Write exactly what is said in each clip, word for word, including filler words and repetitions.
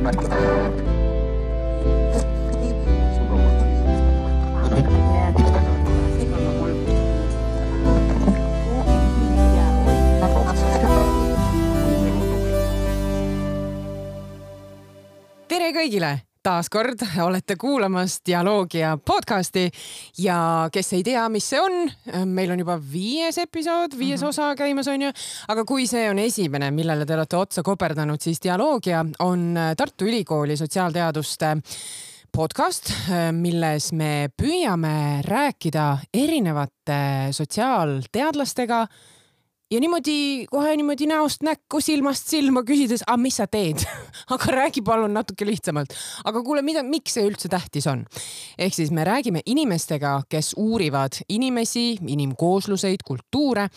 Tere kõigile! Taas kord olete kuulamas Dialoogia podcasti ja kes ei tea, mis see on, meil on juba viies episood, viies osa käimas on ju, aga kui see on esimene, millele te olete otsa koperdanud, siis Dialoogia on Tartu Ülikooli sotsiaalteaduste podcast, milles me püüame rääkida erinevate sotsiaalteadlastega ja niimoodi, kohe niimoodi näost näkku, silmast silma küsides, ah, mis sa teed? Aga räägi palun natuke lihtsamalt. Aga kuule, mida, miks see üldse tähtis on? Ehk siis me räägime inimestega, kes uurivad inimesi, inimkoosluseid, kultuure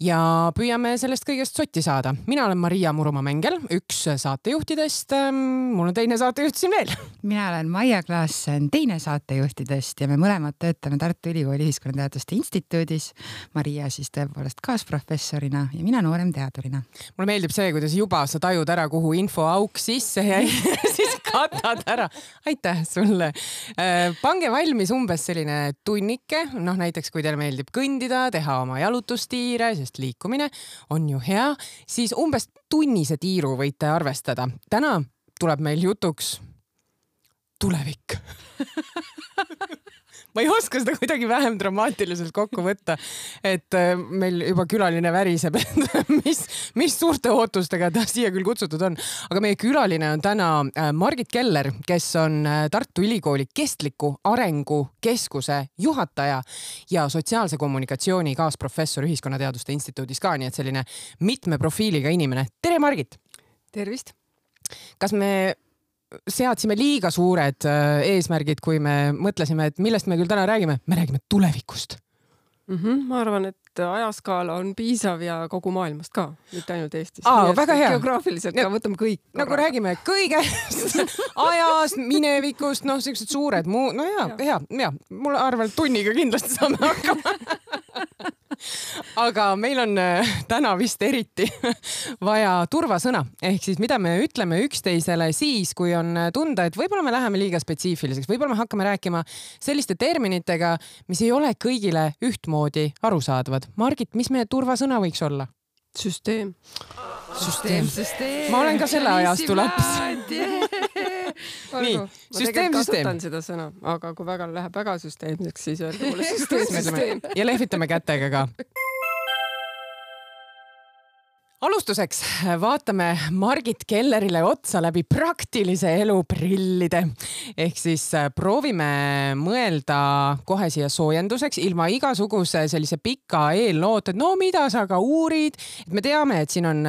ja püüame sellest kõigest sotti saada. Mina olen Maria Muruma-Mengel, üks saatejuhtidest. Mul on teine saatejuht siin veel. Mina olen Maia Klaassen, teine saatejuhtidest ja me mõlemad töötame Tartu Ülikooli Ühiskonnateaduste Instituudis. Maria siis tõepoolest kaasprofessor ja mina noorem teadurina. Mulle meeldib see, kuidas juba sa tajud ära, kuhu info auk sisse jäi, siis katad ära. Aitäh sulle. Pange valmis umbes selline tunnike, noh näiteks kui teile meeldib kõndida, teha oma jalutustiire, sest liikumine on ju hea, siis umbes tunnise tiiru võite arvestada. Täna tuleb meil jutuks tulevik. Ma ei oska seda kuidagi vähem dramaatiliselt kokku võtta, et meil juba külaline väriseb, et mis, mis suurte ootustega ta siia küll kutsutud on. Aga meie külaline on täna Margit Keller, kes on Tartu Ülikooli kestliku arengu keskuse juhataja ja sotsiaalse kommunikatsiooni kaasprofessor Ühiskonnateaduste Instituudis ka, nii et selline mitme profiiliga inimene. Tere Margit! Tervist! Kas me seadsime liiga suured eesmärgid, kui me mõtlesime, et millest me küll täna räägime? Me räägime tulevikust. Mm-hmm. Ma arvan, et ajaskaala on piisav ja kogu maailmast ka, mitte ainult Eestis. Aa, väga hea. Geograafiliselt ka võtame kõik. Nagu korra. Räägime kõigest, ajast, minevikust, noh, sellised suured muu, no hea, hea, hea. Mulle arvan, et tunniga kindlasti saame hakkama. Aga meil on täna vist eriti vaja turvasõna. Ehk siis mida me ütleme üksteisele siis, kui on tunda, et võib-olla me läheme liiga spetsiifiliseks, võib-olla me hakkame rääkima selliste terminitega, mis ei ole kõigile ühtmoodi arusaadavad. Margit, mis meie turvasõna võiks olla? Süsteem. Süsteem, süsteem. Ma olen ka selle ajastu laps. Nii, süsteem, süsteem. Kasutan seda sõna, aga kui väga läheb väga süsteemseks, siis öelda mulle süsteem, süsteem. Ja lehvitame kätega ka. Alustuseks vaatame Margit Kellerile otsa läbi praktilise elu prillide. Ehk siis proovime mõelda kohe siia soojenduseks ilma igasuguse sellise pika eelloot, et no mida sa ka uurid. Et me teame, et siin on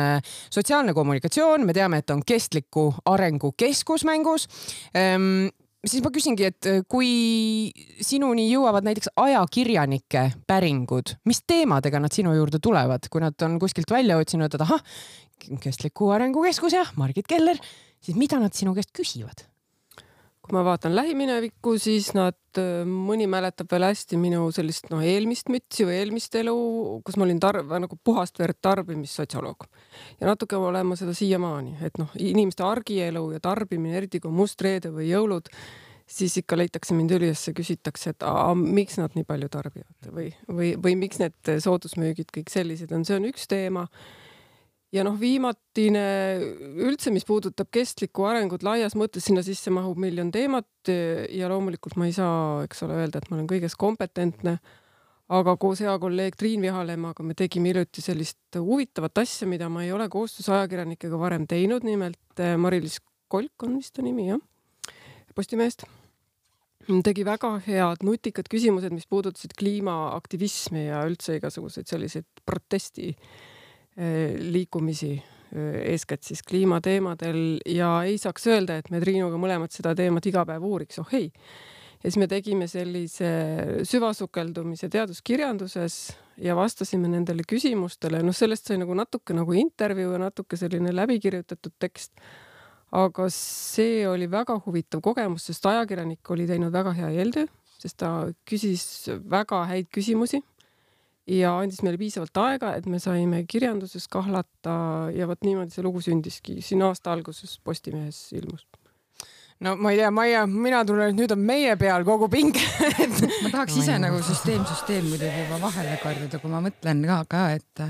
sotsiaalne kommunikatsioon, me teame, et on kestliku arengu keskus mängus. Ehm, siis ma küsingi, et kui sinuni jõuavad näiteks ajakirjanike päringud, mis teemadega nad sinu juurde tulevad, kui nad on kuskilt välja otsinud, et aha, kestliku arengu keskus ja Margit Keller, siis mida nad sinu käest küsivad? Kui ma vaatan lähiminevikku, siis nad, mõni mäletab veel hästi minu sellist no, eelmist mütsi või eelmist elu, kus ma olin tarv, nagu puhast verd tarbimissotsioloog. Ja natuke olema seda siiamaani, et noh, inimeste argielu ja tarbimine, eriti kui mustreede või jõulud, siis ikka leitakse mind üles ja küsitakse, et a, miks nad nii palju tarbivad või, või, või miks need soodusmüügid kõik sellised on. See on üks teema. Ja noh, viimatine üldse, mis puudutab kestlikku arengut laias mõttes, sinna sisse mahub miljon teemat ja loomulikult ma ei saa, eks ole, öelda, et ma olen kõiges kompetentne, aga koos hea kolleeg Triin Vihalemaga me tegime hiljuti sellist huvitavat asja, mida ma ei ole koostöös ajakirjanikega varem teinud, nimelt Mari-Liis Kolk on vist ta nimi, jah, Postimehest. Tegi väga head nutikad küsimused, mis puudutasid kliimaaktivismi ja üldse igasuguseid selliseid protesti liikumisi eeskätt siis kliimateemadel ja ei saaks öelda, et me Triinuga mõlemad seda teemat iga päev uuriks, oh hei. Ja siis me tegime sellise süvasukeldumise teaduskirjanduses ja vastasime nendele küsimustele. No sellest sai nagu natuke nagu intervjuu ja natuke selline läbikirjutatud tekst. Aga see oli väga huvitav kogemus, sest ajakirjanik oli teinud väga hea eeltöö, sest ta küsis väga häid küsimusi. Ja andis meile piisavalt aega, et me saime kirjanduses kahlata ja võt niimoodi see lugu sündiski. Siin aasta alguses Postimehes ilmus. no ma ei tea, Maia, mina tunnen, et nüüd on meie peal kogu pinge. ma tahaks ise nagu süsteem, süsteem muidugi juba vahele karjuda, kui ma mõtlen ka, ka et,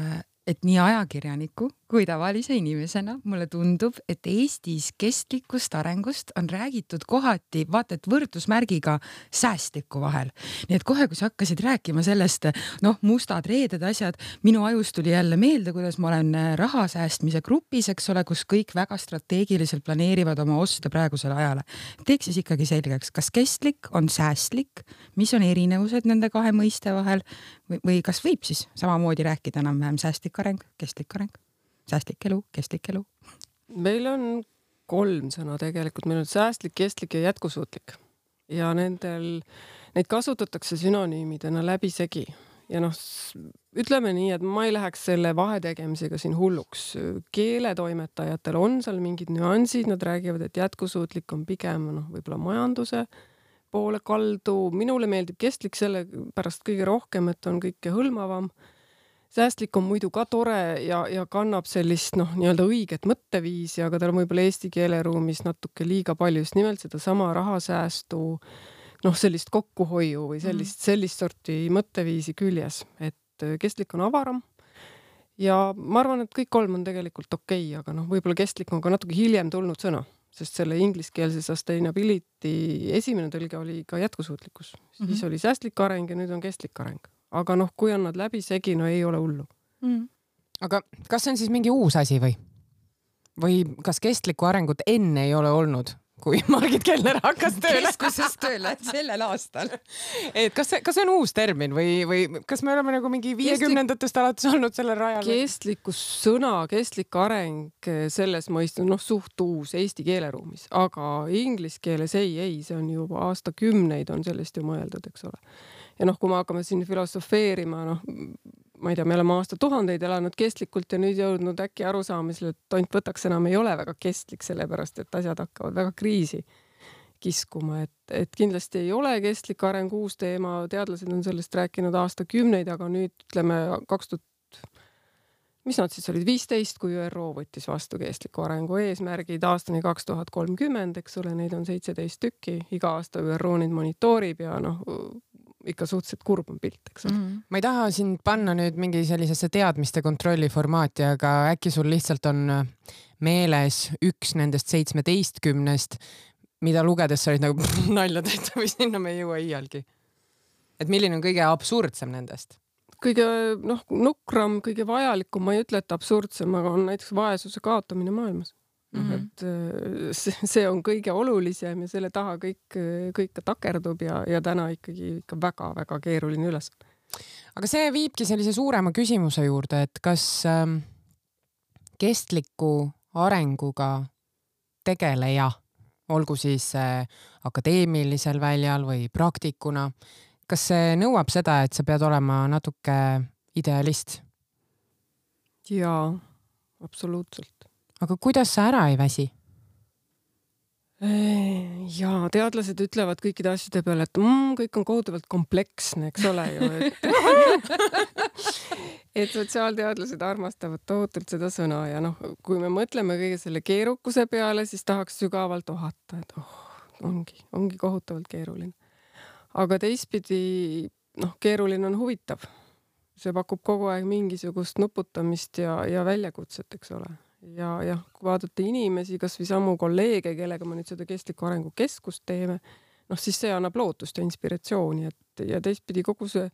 et nii ajakirjaniku kui tavalise inimesena mulle tundub, et Eestis kestlikust arengust on räägitud kohati, vaata, et võrdusmärgiga säästliku vahel. Nii et kohe, kui sa hakkasid rääkima sellest, noh, mustad reeded asjad, minu ajus tuli jälle meelde, kuidas ma olen raha säästmise grupis, eks ole, kus kõik väga strateegiliselt planeerivad oma oste praegusele ajale. Teeks siis ikkagi selgeks, kas kestlik on säästlik, mis on erinevused nende kahe mõiste vahel või, või kas võib siis samamoodi rääkida enam-vähem säästlik areng, kestlik areng? Säästlik elu, kestlik elu. Meil on kolm sõna tegelikult. Meil on säästlik, kestlik ja jätkusuutlik. Ja nendel, neid kasutatakse sünonüümidena läbisegi. Ja noh, ütleme nii, et ma ei läheks selle vahetegemisega siin hulluks. Keeletoimetajatel on seal mingid nüansid. Nad räägivad, et jätkusuutlik on pigem noh, võib-olla majanduse poole kaldu. Minule meeldib kestlik selle pärast kõige rohkem, et on kõike hõlmavam. Säästlik on muidu ka tore ja, ja kannab sellist noh, nii-öelda õiget mõtteviisi, aga tal on võib-olla eesti keeleruumis natuke liiga palju just nimelt seda sama rahasäästu, noh, sellist kokkuhoiu või sellist, sellist sorti mõtteviisi küljes, et kestlik on avaram. Ja ma arvan, et kõik kolm on tegelikult okei, aga noh, võib-olla kestlik on ka natuke hiljem tulnud sõna, sest selle ingliskeelse sustainability esimene tõlge oli ka jätkusuutlikkus. Siis mm-hmm. oli säästlik areng ja nüüd on kestlik areng. Aga noh, kui on nad läbi segi, no ei ole hullu. Mm. Aga kas see on siis mingi uus asi või? Või kas kestlikku arengut enne ei ole olnud, kui Margit Kellner hakkas tööle? Keskuses tööle sellel aastal. Et kas see, kas see on uus termin või, või kas me oleme nagu mingi viiekümnendatest alates olnud selle rajal? Kestlikkus sõna, kestlik areng selles mõistes, noh, suht uus eesti keeleruumis, aga inglise keeles ei, ei, see on juba aastakümneid on sellest ju mõeldud, eks ole. Ja noh, kui me hakkame siin filosofeerima, noh, ma ei tea, me oleme aasta tuhandeid elanud kestlikult ja nüüd jõudnud äkki arusaamisele, et tont võtaks enam ei ole väga kestlik, sellepärast et asjad hakkavad väga kriisi kiskuma. Et, et kindlasti ei ole kestlik areng uus teema, teadlased on sellest rääkinud aastakümneid, aga nüüd ütleme kaks tuhat, mis nad siis olid, viisteist, kui ÜRO võttis vastu kestliku arengu eesmärgid aastani kaks tuhat kolmkümmend, eks ole, neid on seitseteist tükki, iga aasta ÜRO neid monitoorib ja noh, ikka suhteliselt kurb on pilt, eks ole. Mm. Ma ei taha sind panna nüüd mingi sellisesse teadmiste kontrolli formaati, aga äkki sul lihtsalt on meeles üks nendest seitsmeteistkümnest, mida lugedes sa olid nagu nalja tehta või sinna me ei jõua iialgi. Et milline on kõige absurdsem nendest? Kõige noh, nukram, kõige vajalikum, ma ei ütle, et absurdsem, aga on näiteks vaesuse kaotamine maailmas. Mm-hmm. Et see on kõige olulisem ja selle taha kõik, kõik takerdub ja, ja täna ikkagi ikka väga-väga keeruline üles. Aga see viibki sellise suurema küsimuse juurde, et kas ähm, kestliku arenguga tegeleja, olgu siis äh, akadeemilisel väljal või praktikuna, kas see nõuab seda, et sa pead olema natuke idealist? Jaa, absoluutselt. Aga kuidas sa ära ei väsi? Jaa, teadlased ütlevad kõikide asjade peale, et mm, kõik on kohutavalt kompleksne, eks ole ju. Et, et sotsiaalteadlased armastavad tohutult seda sõna ja noh, kui me mõtleme kõige selle keerukuse peale, siis tahaks sügavalt ohata, et oh, ongi, ongi kohutavalt keeruline. Aga teistpidi, noh, keeruline on huvitav. See pakub kogu aeg mingisugust nuputamist ja, ja väljakutset, eks ole. Ja, ja kui vaadata inimesi, kas või samu kolleege, kellega ma nüüd seda kestliku arengu keskust teeme, noh siis see annab lootust ja inspiratsiooni, et ja teistpidi kogu see,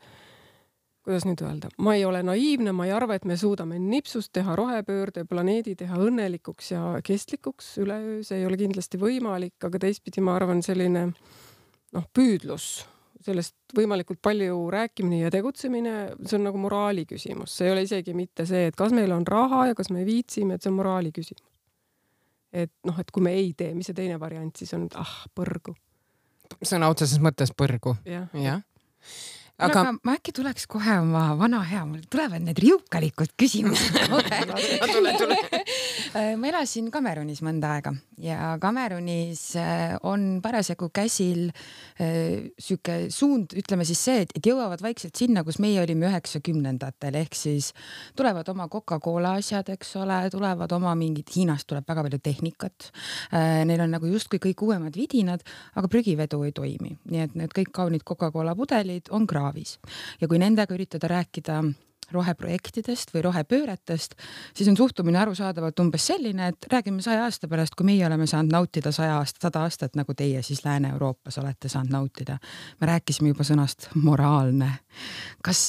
kuidas nüüd öelda, ma ei ole naiivne, ma ei arva, et me suudame nipsust teha rohepöörde, planeedi teha õnnelikuks ja kestlikuks üleöö, see ei ole kindlasti võimalik, aga teistpidi ma arvan selline noh, püüdlus, sellest võimalikult palju rääkimine ja tegutsemine, see on nagu moraali küsimus. See ei ole isegi mitte see, et kas meil on raha ja kas me viitsime, et see on moraali küsimus. Et noh, et kui me ei tee, mis see teine variant siis on, ah, põrgu. Sõna otseses mõttes põrgu. Ja. Ja. aga ma äkki tuleks kohe oma vana hea, mul tulevad need riukalikud küsimused. tule, tule. ma elasin Kamerunis mõnda aega ja Kamerunis on parasjagu käsil süke suund, ütleme siis see, et jõuavad vaikselt sinna, kus meie olime üheksakümnendatel, ehk siis tulevad oma Coca-Cola asjad, eks ole, tulevad oma mingid, Hiinast tuleb väga palju tehnikat. Neil on nagu justkui kõik uuemad vidinad, aga prügivedu ei toimi. Nii et need kõik kaunid Coca-Cola pudelid on kraav. Ja kui nendega üritada rääkida roheprojektidest või rohepööretest, siis on suhtumine arusaadavalt umbes selline, et räägime saja aasta pärast, kui meie oleme saanud nautida saja aasta, sada aastat, nagu teie siis Lääne-Euroopas olete saanud nautida. Me rääkisime juba sõnast moraalne. Kas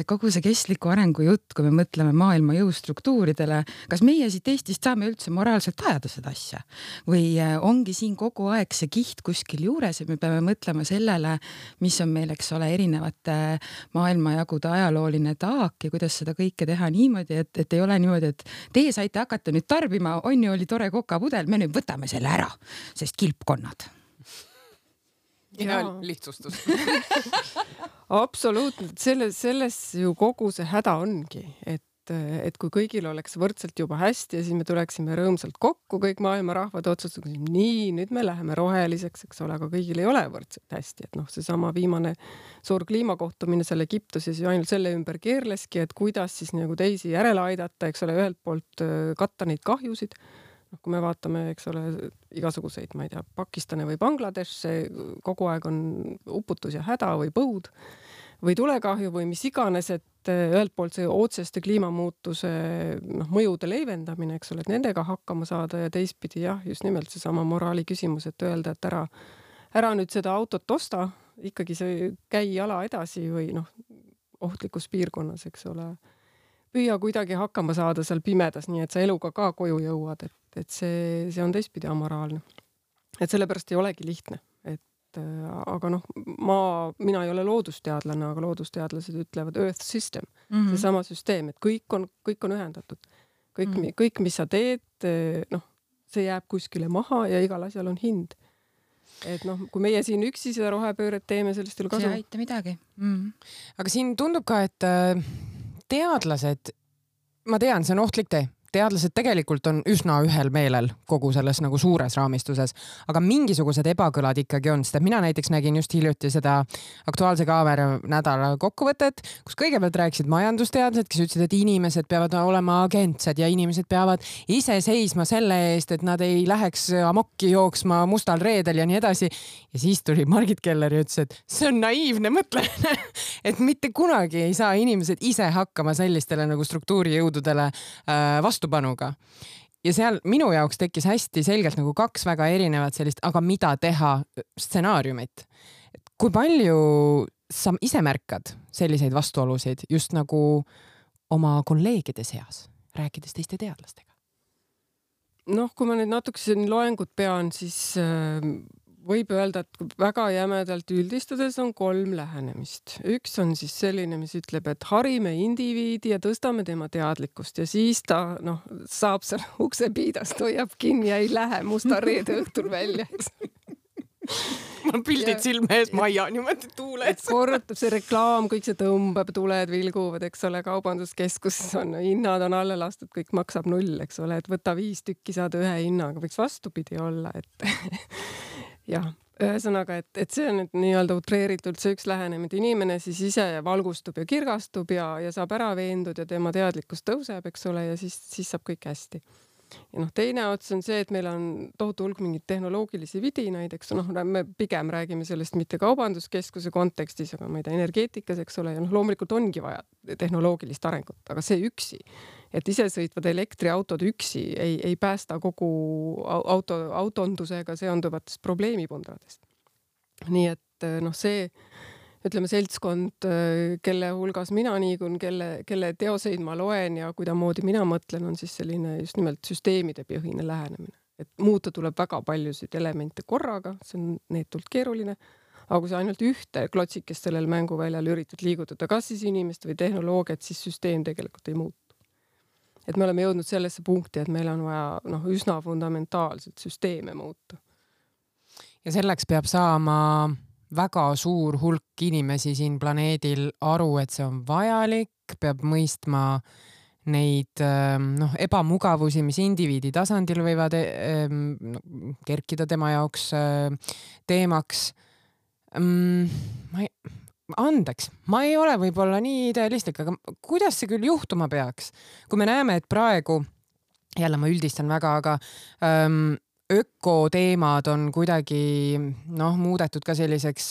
kogu see kestliku arengu jutt, kui me mõtleme maailma jõustruktuuridele, kas meie siit Eestist saame üldse moraalselt ajada seda asja? Või ongi siin kogu aeg see kiht kuskil juures ja me peame mõtlema sellele, mis on meil, eks ole, erinevate maailmajagude ajalooline taak ja kuidas seda kõike teha niimoodi, et, et ei ole niimoodi, et teie saite hakata nüüd tarbima, on ju, oli tore kokapudel, me nüüd võtame selle ära, sest kilpkonnad. Ja lihtsustus. Absoluutselt, selles, selles ju kogu see häda ongi, et et kui kõigil oleks võrdselt juba hästi ja siis me tuleksime rõõmsalt kokku, kõik maailma rahvad otsustasid, nii, nüüd me läheme roheliseks, eks ole, aga kõigil ei ole võrdselt hästi, et noh, see sama viimane suur kliimakohtumine seal Egiptuses ju ainult selle ümber keerleski, et kuidas siis nagu teisi järele aidata, eks ole, ühelt poolt katta neid kahjusid. noh, kui me vaatame, eks ole, igasuguseid, ma ei tea, Pakistane või Bangladesh, kogu aeg on uputus ja häda või põud või tulekahju või mis iganes, et ühelt poolt see otseste kliimamuutuse noh, mõjude leevendamine, eks ole, et nendega hakkama saada ja teistpidi jah, just nimelt seesama moraali küsimus, et öelda, et ära, ära nüüd seda autot osta, ikkagi see käi jala edasi või noh, ohtlikus piirkonnas, eks ole, püüa kuidagi hakkama saada seal pimedas, nii et sa eluga ka koju jõuad, et, et see, see on teistpidi amoraalne. Et sellepärast ei olegi lihtne, et aga noh, ma, mina ei ole loodusteadlane, aga loodusteadlased ütlevad earth system, mm-hmm. seesama süsteem, et kõik on, kõik on ühendatud. Kõik, mm-hmm. kõik, mis sa teed, noh, see jääb kuskile maha ja igal asjal on hind. Et noh, kui meie siin üksi seda rohepööret teeme, sellest ei ole kasu. See ei aita midagi. Mm-hmm. Aga siin tundub ka, et teadlased, ma tean, see on ohtlik tee. Teadlased tegelikult on üsna ühel meelel kogu selles nagu suures raamistuses, aga mingisugused ebakõlad ikkagi on, sest mina näiteks nägin just hiljuti seda Aktuaalse Kaamera nädala kokkuvõtet, kus kõigepealt rääkisid majandusteadlased, kes ütlesid, et inimesed peavad olema agentsed ja inimesed peavad ise seisma selle eest, et nad ei läheks amokki jooksma mustal reedel ja nii edasi. Ja siis tuli Margit Keller ja ütles, et see on naiivne mõtlemine, et mitte kunagi ei saa inimesed ise hakkama sellistele nagu struktuurijõududele vastu vastupanuga. Ja seal minu jaoks tekkis hästi selgelt nagu kaks väga erinevat sellist, aga mida teha stsenaariumit. Kui palju sa ise märkad selliseid vastuolusid just nagu oma kolleegide seas, rääkides teiste teadlastega? Noh, kui ma nüüd natukese loengut pean, siis võib öelda, et väga jämedalt üldistades on kolm lähenemist. Üks on siis selline, mis ütleb, et harime indiviidi ja tõstame tema teadlikkust ja siis ta noh, saab seal uksepiidast, hoiab kinni ja ei lähe musta reede õhtul välja. Mul pildid silme ees, Maia niimoodi tuules. Korrutab see reklaam, kõik see tõmbab, tuled vilguvad, eks ole, kaubanduskeskus on, hinnad on alla lastud, kõik maksab null, eks ole, et võta viis tükki saada ühe hinnaga, võiks vastupidi olla, et jah, ühesõnaga, et, et see on nüüd nii-öelda utreeritult see üks lähenemine, et inimene siis ise valgustub ja kirgastub ja, ja saab ära veendud ja tema teadlikkus tõuseb, eks ole, ja siis, siis saab kõik hästi. Ja noh, teine ots on see, et meil on tohutu hulk mingid tehnoloogilisi vidinaid, eks noh, me pigem räägime sellest mitte kaubanduskeskuse kontekstis, aga ma ei tea, energeetikas, eks ole, ja noh, loomulikult ongi vaja tehnoloogilist arengut, aga see üksi, et isesõitvad elektriautod üksi ei, ei päästa kogu auto, autondusega seonduvatest probleemipundradest. Nii et noh, see ütleme seltskond, kelle hulgas mina niigun, kelle, kelle teoseid ma loen ja kuidamoodi mina mõtlen, on siis selline just nimelt süsteemide põhine lähenemine. Et muuta tuleb väga paljusid elemente korraga, see on neetult keeruline, aga kui sa ainult ühte klotsikest sellel mänguväljal üritad liigutada, kas siis inimest või tehnoloogiat, siis süsteem tegelikult ei muutu. Et me oleme jõudnud sellesse punkti, et meil on vaja noh, üsna fundamentaalselt süsteeme muuta. Ja selleks peab saama väga suur hulk inimesi siin planeedil aru, et see on vajalik, peab mõistma neid noh, ebamugavusi, mis indiviidi tasandil võivad no, kerkida tema jaoks teemaks. Ma ei, andeks, ma ei ole võib-olla nii idealistlik, aga kuidas see küll juhtuma peaks? Kui me näeme, et praegu, jälle ma üldistan väga, aga ähm, ökoteemad on kuidagi noh, muudetud ka selliseks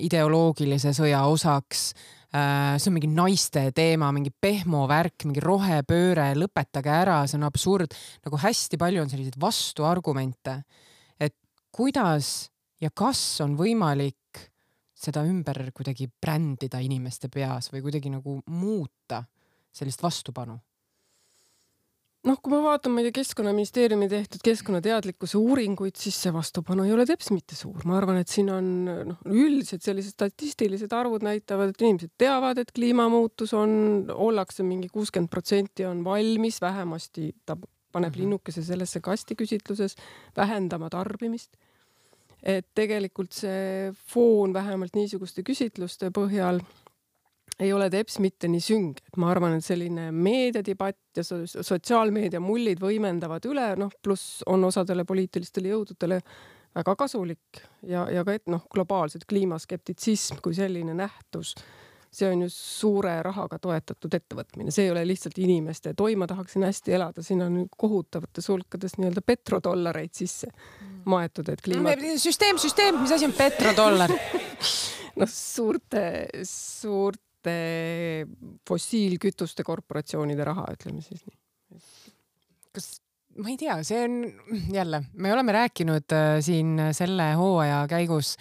ideoloogilise sõja osaks. See on mingi naiste teema, mingi pehmo värk, mingi rohepööre, lõpetage ära, see on absurd. Nagu hästi palju on selliseid vastuargumente, et kuidas ja kas on võimalik seda ümber kuidagi brändida inimeste peas või kuidagi nagu muuta sellist vastupanu. Noh, kui ma vaatan meile Keskkonnaministeeriumi tehtud keskkonnateadlikkuse uuringuid, siis see vastupanu ei ole teps mitte suur. Ma arvan, et siin on noh, üldiselt sellised statistilised arvud näitavad, et inimesed teavad, et kliimamuutus on, ollakse mingi kuuskümmend protsenti on valmis, vähemasti ta paneb mm-hmm. linnukese sellesse kasti küsitluses, vähendama tarbimist. Et tegelikult see foon vähemalt niisuguste küsitluste põhjal ei ole teps mitte nii süng. Et ma arvan, et selline meediadibatt ja sotsiaalmeedia mullid võimendavad üle, noh, pluss on osadele poliitilistele jõududele väga kasulik ja, ja ka et noh, globaalselt kliimaskeptitsism kui selline nähtus, see on ju suure rahaga toetatud ettevõtmine. See ei ole lihtsalt inimeste toima tahaksin hästi elada, siin on kohutavates hulkades nii-öelda petrodollareid sisse maetud, et kliima... Süsteem, süsteem, mis asi on petrodollar? noh, suurte, suurte fossiilkütuste korporatsioonide raha, ütleme siis nii. Kas, ma ei tea, see on jälle, me oleme rääkinud siin selle hooaja käigus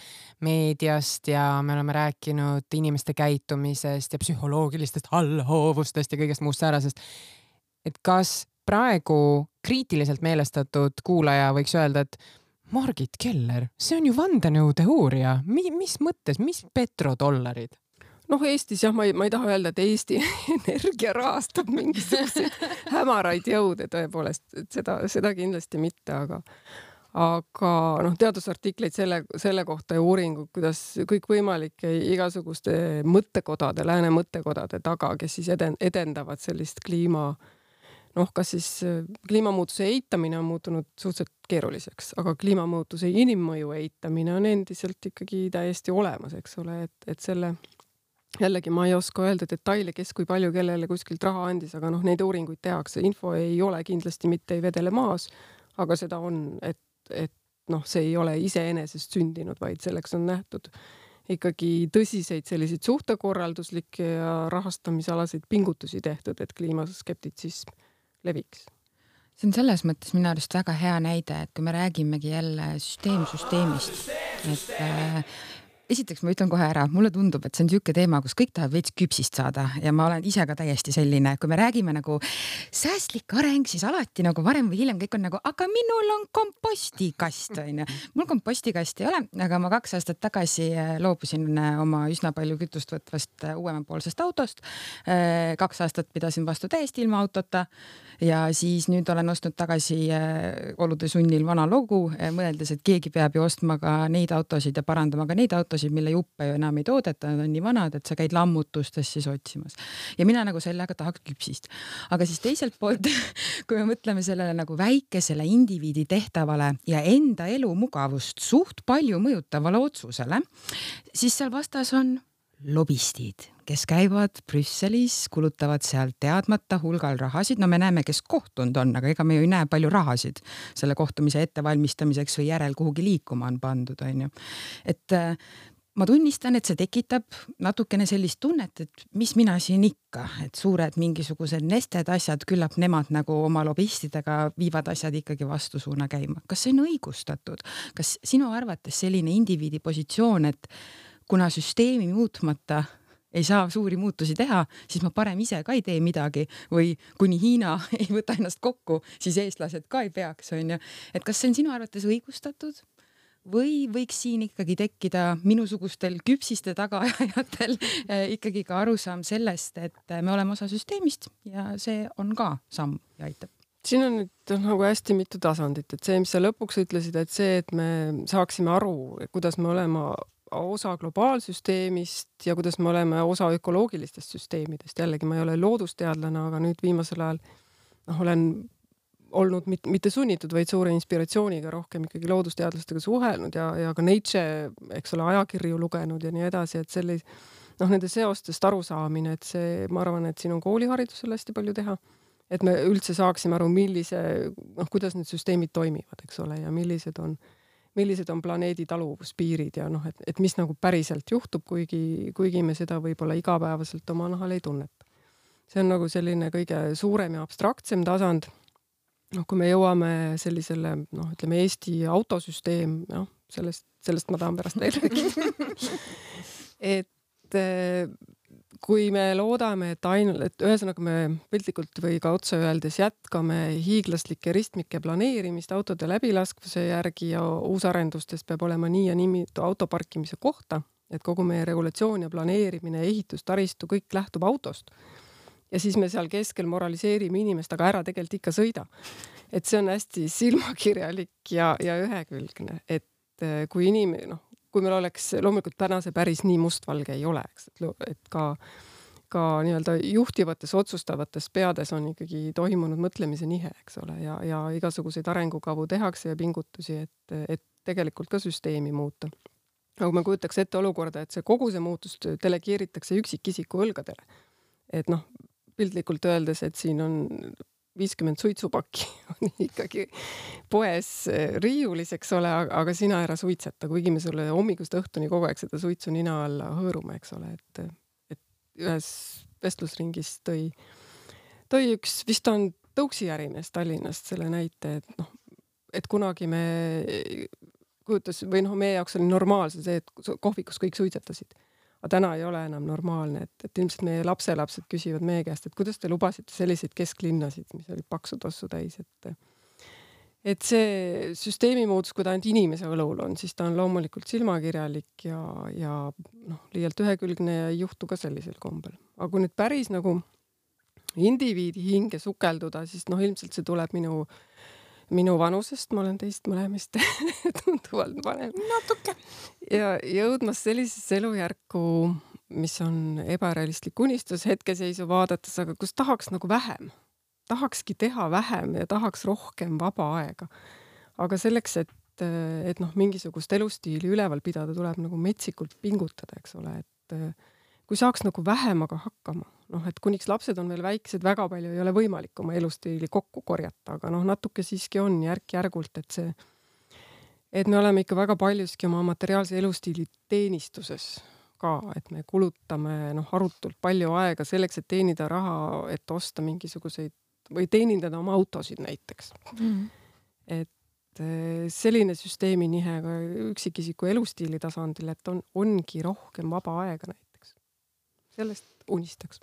meediast ja me oleme rääkinud inimeste käitumisest ja psühholoogilistest allhoovustest ja kõigest muust säärasest. Et kas praegu kriitiliselt meelestatud kuulaja võiks öelda, et Margit Keller, see on ju vandenõuteooria. Mi, mis mõttes, mis petrodollarid? Noh, Eestis jah, ma ei, ma ei taha öelda, et Eesti Energia rahastab mingisuguseid hämaraid jõude tõepoolest, et seda, seda kindlasti mitte, aga aga noh, teadusartikleid selle, selle kohta ja uuringud, kuidas kõik võimalik igasuguste mõttekodade, lääne mõttekodade taga, kes siis eden, edendavad sellist kliima noh, kas siis kliimamuutuse eitamine on muutunud suhteliselt keeruliseks, aga kliimamuutuse inimmõju eitamine on endiselt ikkagi täiesti olemas, eks ole, et, et selle jällegi ma ei oska öelda detaile, kes kui palju kellele kuskilt raha andis, aga noh, neid uuringuid tehakse. Info ei ole kindlasti mitte ei vedele maas, aga seda on, et, et noh, see ei ole iseenesest sündinud, vaid selleks on nähtud ikkagi tõsiseid selliseid suhtekorralduslikke ja rahastamisalaseid pingutusi tehtud, et kliimaskeptitsism leviks. See on selles mõttes minu arust väga hea näide, et kui me räägimegi jälle süsteem süsteemist, et äh, esiteks ma ütlen kohe ära, mulle tundub, et see on niisugune teema, kus kõik tahab veits küpsist saada ja ma olen ise ka täiesti selline, kui me räägime nagu säästlik areng, siis alati nagu varem või hiljem kõik on nagu, aga minul on kompostikast, on ju. Mul kompostikast ei ole, aga ma kaks aastat tagasi loobusin oma üsna palju kütust võtvast uuemapoolsest autost. Kaks aastat pidasin vastu täiesti ilma autota ja siis nüüd olen ostnud tagasi olude sunnil vana logu, mõeldes, et keegi peab ju ostma ka neid autosid ja parandama ka neid autosid, mille juppe ju enam ei toodeta, nad on nii vanad, et sa käid lammutustes siis otsimas. Ja mina nagu sellega tahaks küpsist. Aga siis teiselt poolt, kui me mõtleme sellele nagu väikesele indiviidi tehtavale ja enda elu mugavust suht palju mõjutavale otsusele, siis seal vastas on lobistid, kes käivad Brüsselis, kulutavad seal teadmata hulgal rahasid. No me näeme, kes kohtunud on, aga ega me ju ei näe palju rahasid selle kohtumise ettevalmistamiseks või järel kuhugi liikuma on pandud, on ju. Et ma tunnistan, et see tekitab natukene sellist tunnet, et mis mina siin ikka, et suured mingisugused nested asjad, küllap nemad nagu oma lobistidega viivad asjad ikkagi vastusuuna käima. Kas see on õigustatud? Kas sinu arvates selline indiviidi positsioon, et kuna süsteemi muutmata ei saa suuri muutusi teha, siis ma parem ise ka ei tee midagi või kuni Hiina ei võta ennast kokku, siis eestlased ka ei peaks, on ju. Et kas see on sinu arvates õigustatud? Või võiks siin ikkagi tekkida minusugustel küpsiste tagaajatel ikkagi ka arusaam sellest, et me oleme osa süsteemist ja see on ka samm ja aitab. siin on nüüd nagu hästi mitu tasandit, et see, mis sa lõpuks ütlesid, et see, et me saaksime aru, kuidas me oleme osa globaalsüsteemist ja kuidas me oleme osa ökoloogilistest süsteemidest. Jällegi ma ei ole loodusteadlane, aga nüüd viimasel ajal noh, olen olnud mit, mitte sunnitud, vaid suure inspiratsiooniga rohkem ikkagi loodusteadlastega suhelnud ja, ja ka Nature, eks ole, ajakirju lugenud ja nii edasi, et sellis, noh, nende seostest arusaamine, et see, ma arvan, et siin on kooliharidusel hästi palju teha, et me üldse saaksime aru, millise, noh, kuidas need süsteemid toimivad, eks ole, ja millised on, millised on planeedi taluvuspiirid ja noh, et, et mis nagu päriselt juhtub, kuigi, kuigi me seda võib-olla igapäevaselt oma nahal ei tunneta. See on nagu selline kõige suurem ja abstraktsem tasand. Noh, kui me jõuame sellisele, noh, ütleme Eesti autosüsteem, noh, sellest, sellest ma tahan pärast veel rääkida. et kui me loodame, et ainult, et ühesõnaga me piltlikult või ka otse öeldes jätkame hiiglaslike ristmike planeerimist autode läbilaskvuse järgi ja uusarendustes peab olema nii ja nii autoparkimise kohta, et kogu meie regulatsioon ja planeerimine, ehitus, taristu, kõik lähtub autost. Ja siis me seal keskel moraliseerime inimest, aga ära tegelikult ikka sõida. Et see on hästi silmakirjalik ja, ja ühekülgne, et kui inimene, noh, kui meil oleks, loomulikult täna see päris nii mustvalge ei ole, eks, et, et ka, ka nii-öelda juhtivates, otsustavates peades on ikkagi toimunud mõtlemise nihe, eks ole, ja, ja igasuguseid arengukavu tehakse ja pingutusi, et, et tegelikult ka süsteemi muuta. Aga ma kujutaks ette olukorda, et see kogu see muutus delegeeritakse üksikisiku õlgadele. Et noh, pildlikult öeldes, et siin on viiskümmend suitsupakki on ikkagi poes riiulis, eks ole, aga sina ära suitseta, kuigi me sulle hommikust õhtuni kogu aeg seda suitsu nina alla hõõrume, eks ole, et, et ühes vestlusringis tõi, tõi üks, vist on Tõuksi ärimees Tallinnast selle näite, et noh, et kunagi me kujutas, või noh, meie jaoks oli normaalse see, et kohvikus kõik suitsetasid. Aga täna ei ole enam normaalne, et, et ilmselt meie lapselapsed küsivad meie käest, et kuidas te lubasite selliseid kesklinnasid, mis olid paksu tossu täis, et, et see süsteemi muutus, kui ta ainult inimese õlul on, siis ta on loomulikult silmakirjalik ja, ja noh, liialt ühekülgne ja ei juhtu ka sellisel kombel. Aga kui nüüd päris nagu indiviidi hinge sukelduda, siis noh, ilmselt see tuleb minu minu vanusest, ma olen teist mõlemist tunduvalt vanem. Natuke. Ja jõudmas sellisesse elujärku, mis on ebarealistlik unistus hetkeseisu vaadates, aga kus tahaks nagu vähem. Tahakski teha vähem ja tahaks rohkem vaba aega. Aga selleks, et, et noh, mingisugust elustiili üleval pidada, tuleb nagu metsikult pingutada, eks ole, et kui saaks nagu vähem aga hakkama, noh, et kuniks lapsed on veel väiksed, väga palju ei ole võimalik oma elustiili kokku korjata, aga noh, natuke siiski on järk-järgult, et see, et me oleme ikka väga paljuski oma materiaalse elustiili teenistuses ka, et me kulutame noh, arutult palju aega selleks, et teenida raha, et osta mingisuguseid või teenindada oma autosid näiteks. Mm. Et selline süsteemi nihe ka üksikisiku elustiili tasandil, et on, ongi rohkem vaba aega näiteks. Sellest unistaks.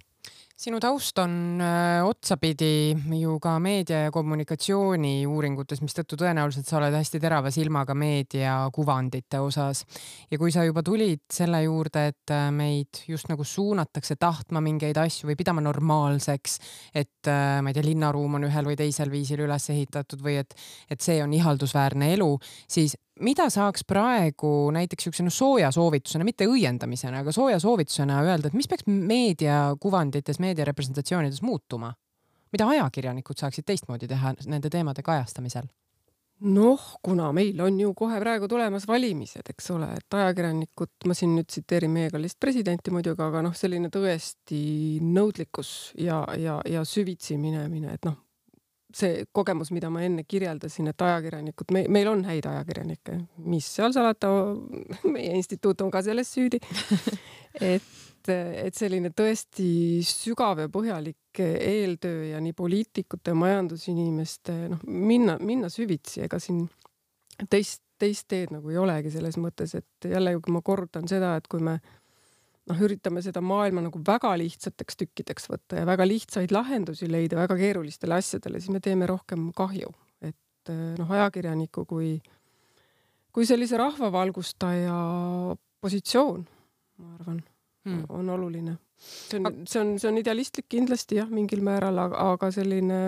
Sinu taust on öö, otsapidi ju ka meedia ja kommunikatsiooni uuringutes, mis tõttu tõenäoliselt sa oled hästi terava silmaga meedia kuvandite osas. Ja kui sa juba tulid selle juurde, et meid just nagu suunatakse tahtma mingeid asju või pidama normaalseks, et ma ei tea, linnaruum on ühel või teisel viisil üles ehitatud või et, et see on ihaldusväärne elu, siis mida saaks praegu näiteks üks sooja soovitusena, mitte õiendamisena, aga sooja soovitusena öelda, et mis peaks meedia kuvandites, meedia representatsioonides muutuma? Mida ajakirjanikud saaksid teistmoodi teha nende teemade kajastamisel? Noh, kuna meil on ju kohe praegu tulemas valimised, eks ole, et ajakirjanikud, ma siin nüüd tsiteerin meie kallist presidenti muidugi, aga noh, selline tõesti nõudlikkus ja, ja, ja süvitsi minemine, et noh, see kogemus, mida ma enne kirjeldasin, et ajakirjanikud, me, meil on häid ajakirjanikke, mis seal salata, meie instituut on ka selles süüdi, et, et selline tõesti sügav ja põhjalik eeltöö ja nii poliitikute, majandusinimeste, noh, minna, minna süvitsi, ega siin teist, teist teed nagu ei olegi selles mõttes, et jälle, kui ma korrutan seda, et kui me noh, üritame seda maailma nagu väga lihtsateks tükkideks võtta ja väga lihtsaid lahendusi leida väga keerulistele asjadele, siis me teeme rohkem kahju. Et noh, ajakirjaniku kui, kui sellise rahvavalgustaja positsioon, ma arvan, hmm. on oluline. See on, see on, see on idealistlik kindlasti jah, mingil määral, aga, aga selline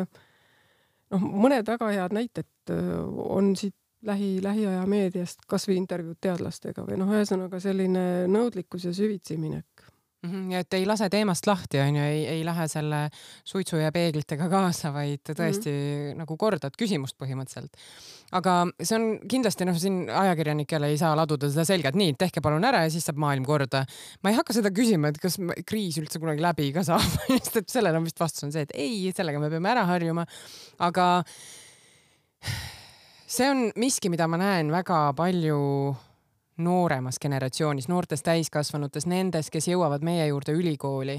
noh, mõned väga head näited on siit lähi, lähiaja meediast, kas või intervjuud teadlastega või noh, ühesõnaga selline nõudlikkus ja süvitsi minek. Mm-hmm. Ja et ei lase teemast lahti, on ju, ei, ei lähe selle suitsu ja peeglitega kaasa, vaid tõesti mm-hmm. nagu kordad küsimust põhimõtteliselt. Aga see on kindlasti, noh, siin ajakirjanikele ei saa laduda seda selgelt, nii, tehke palun ära ja siis saab maailm korda. Ma ei hakka seda küsima, et kas kriis üldse kunagi läbi ka saab, sest et sellel on vist vastus on see, et ei, sellega me peame ära harjuma. Aga see on miski, mida ma näen väga palju nooremas generatsioonis, noortes täiskasvanutes, nendes, kes jõuavad meie juurde ülikooli.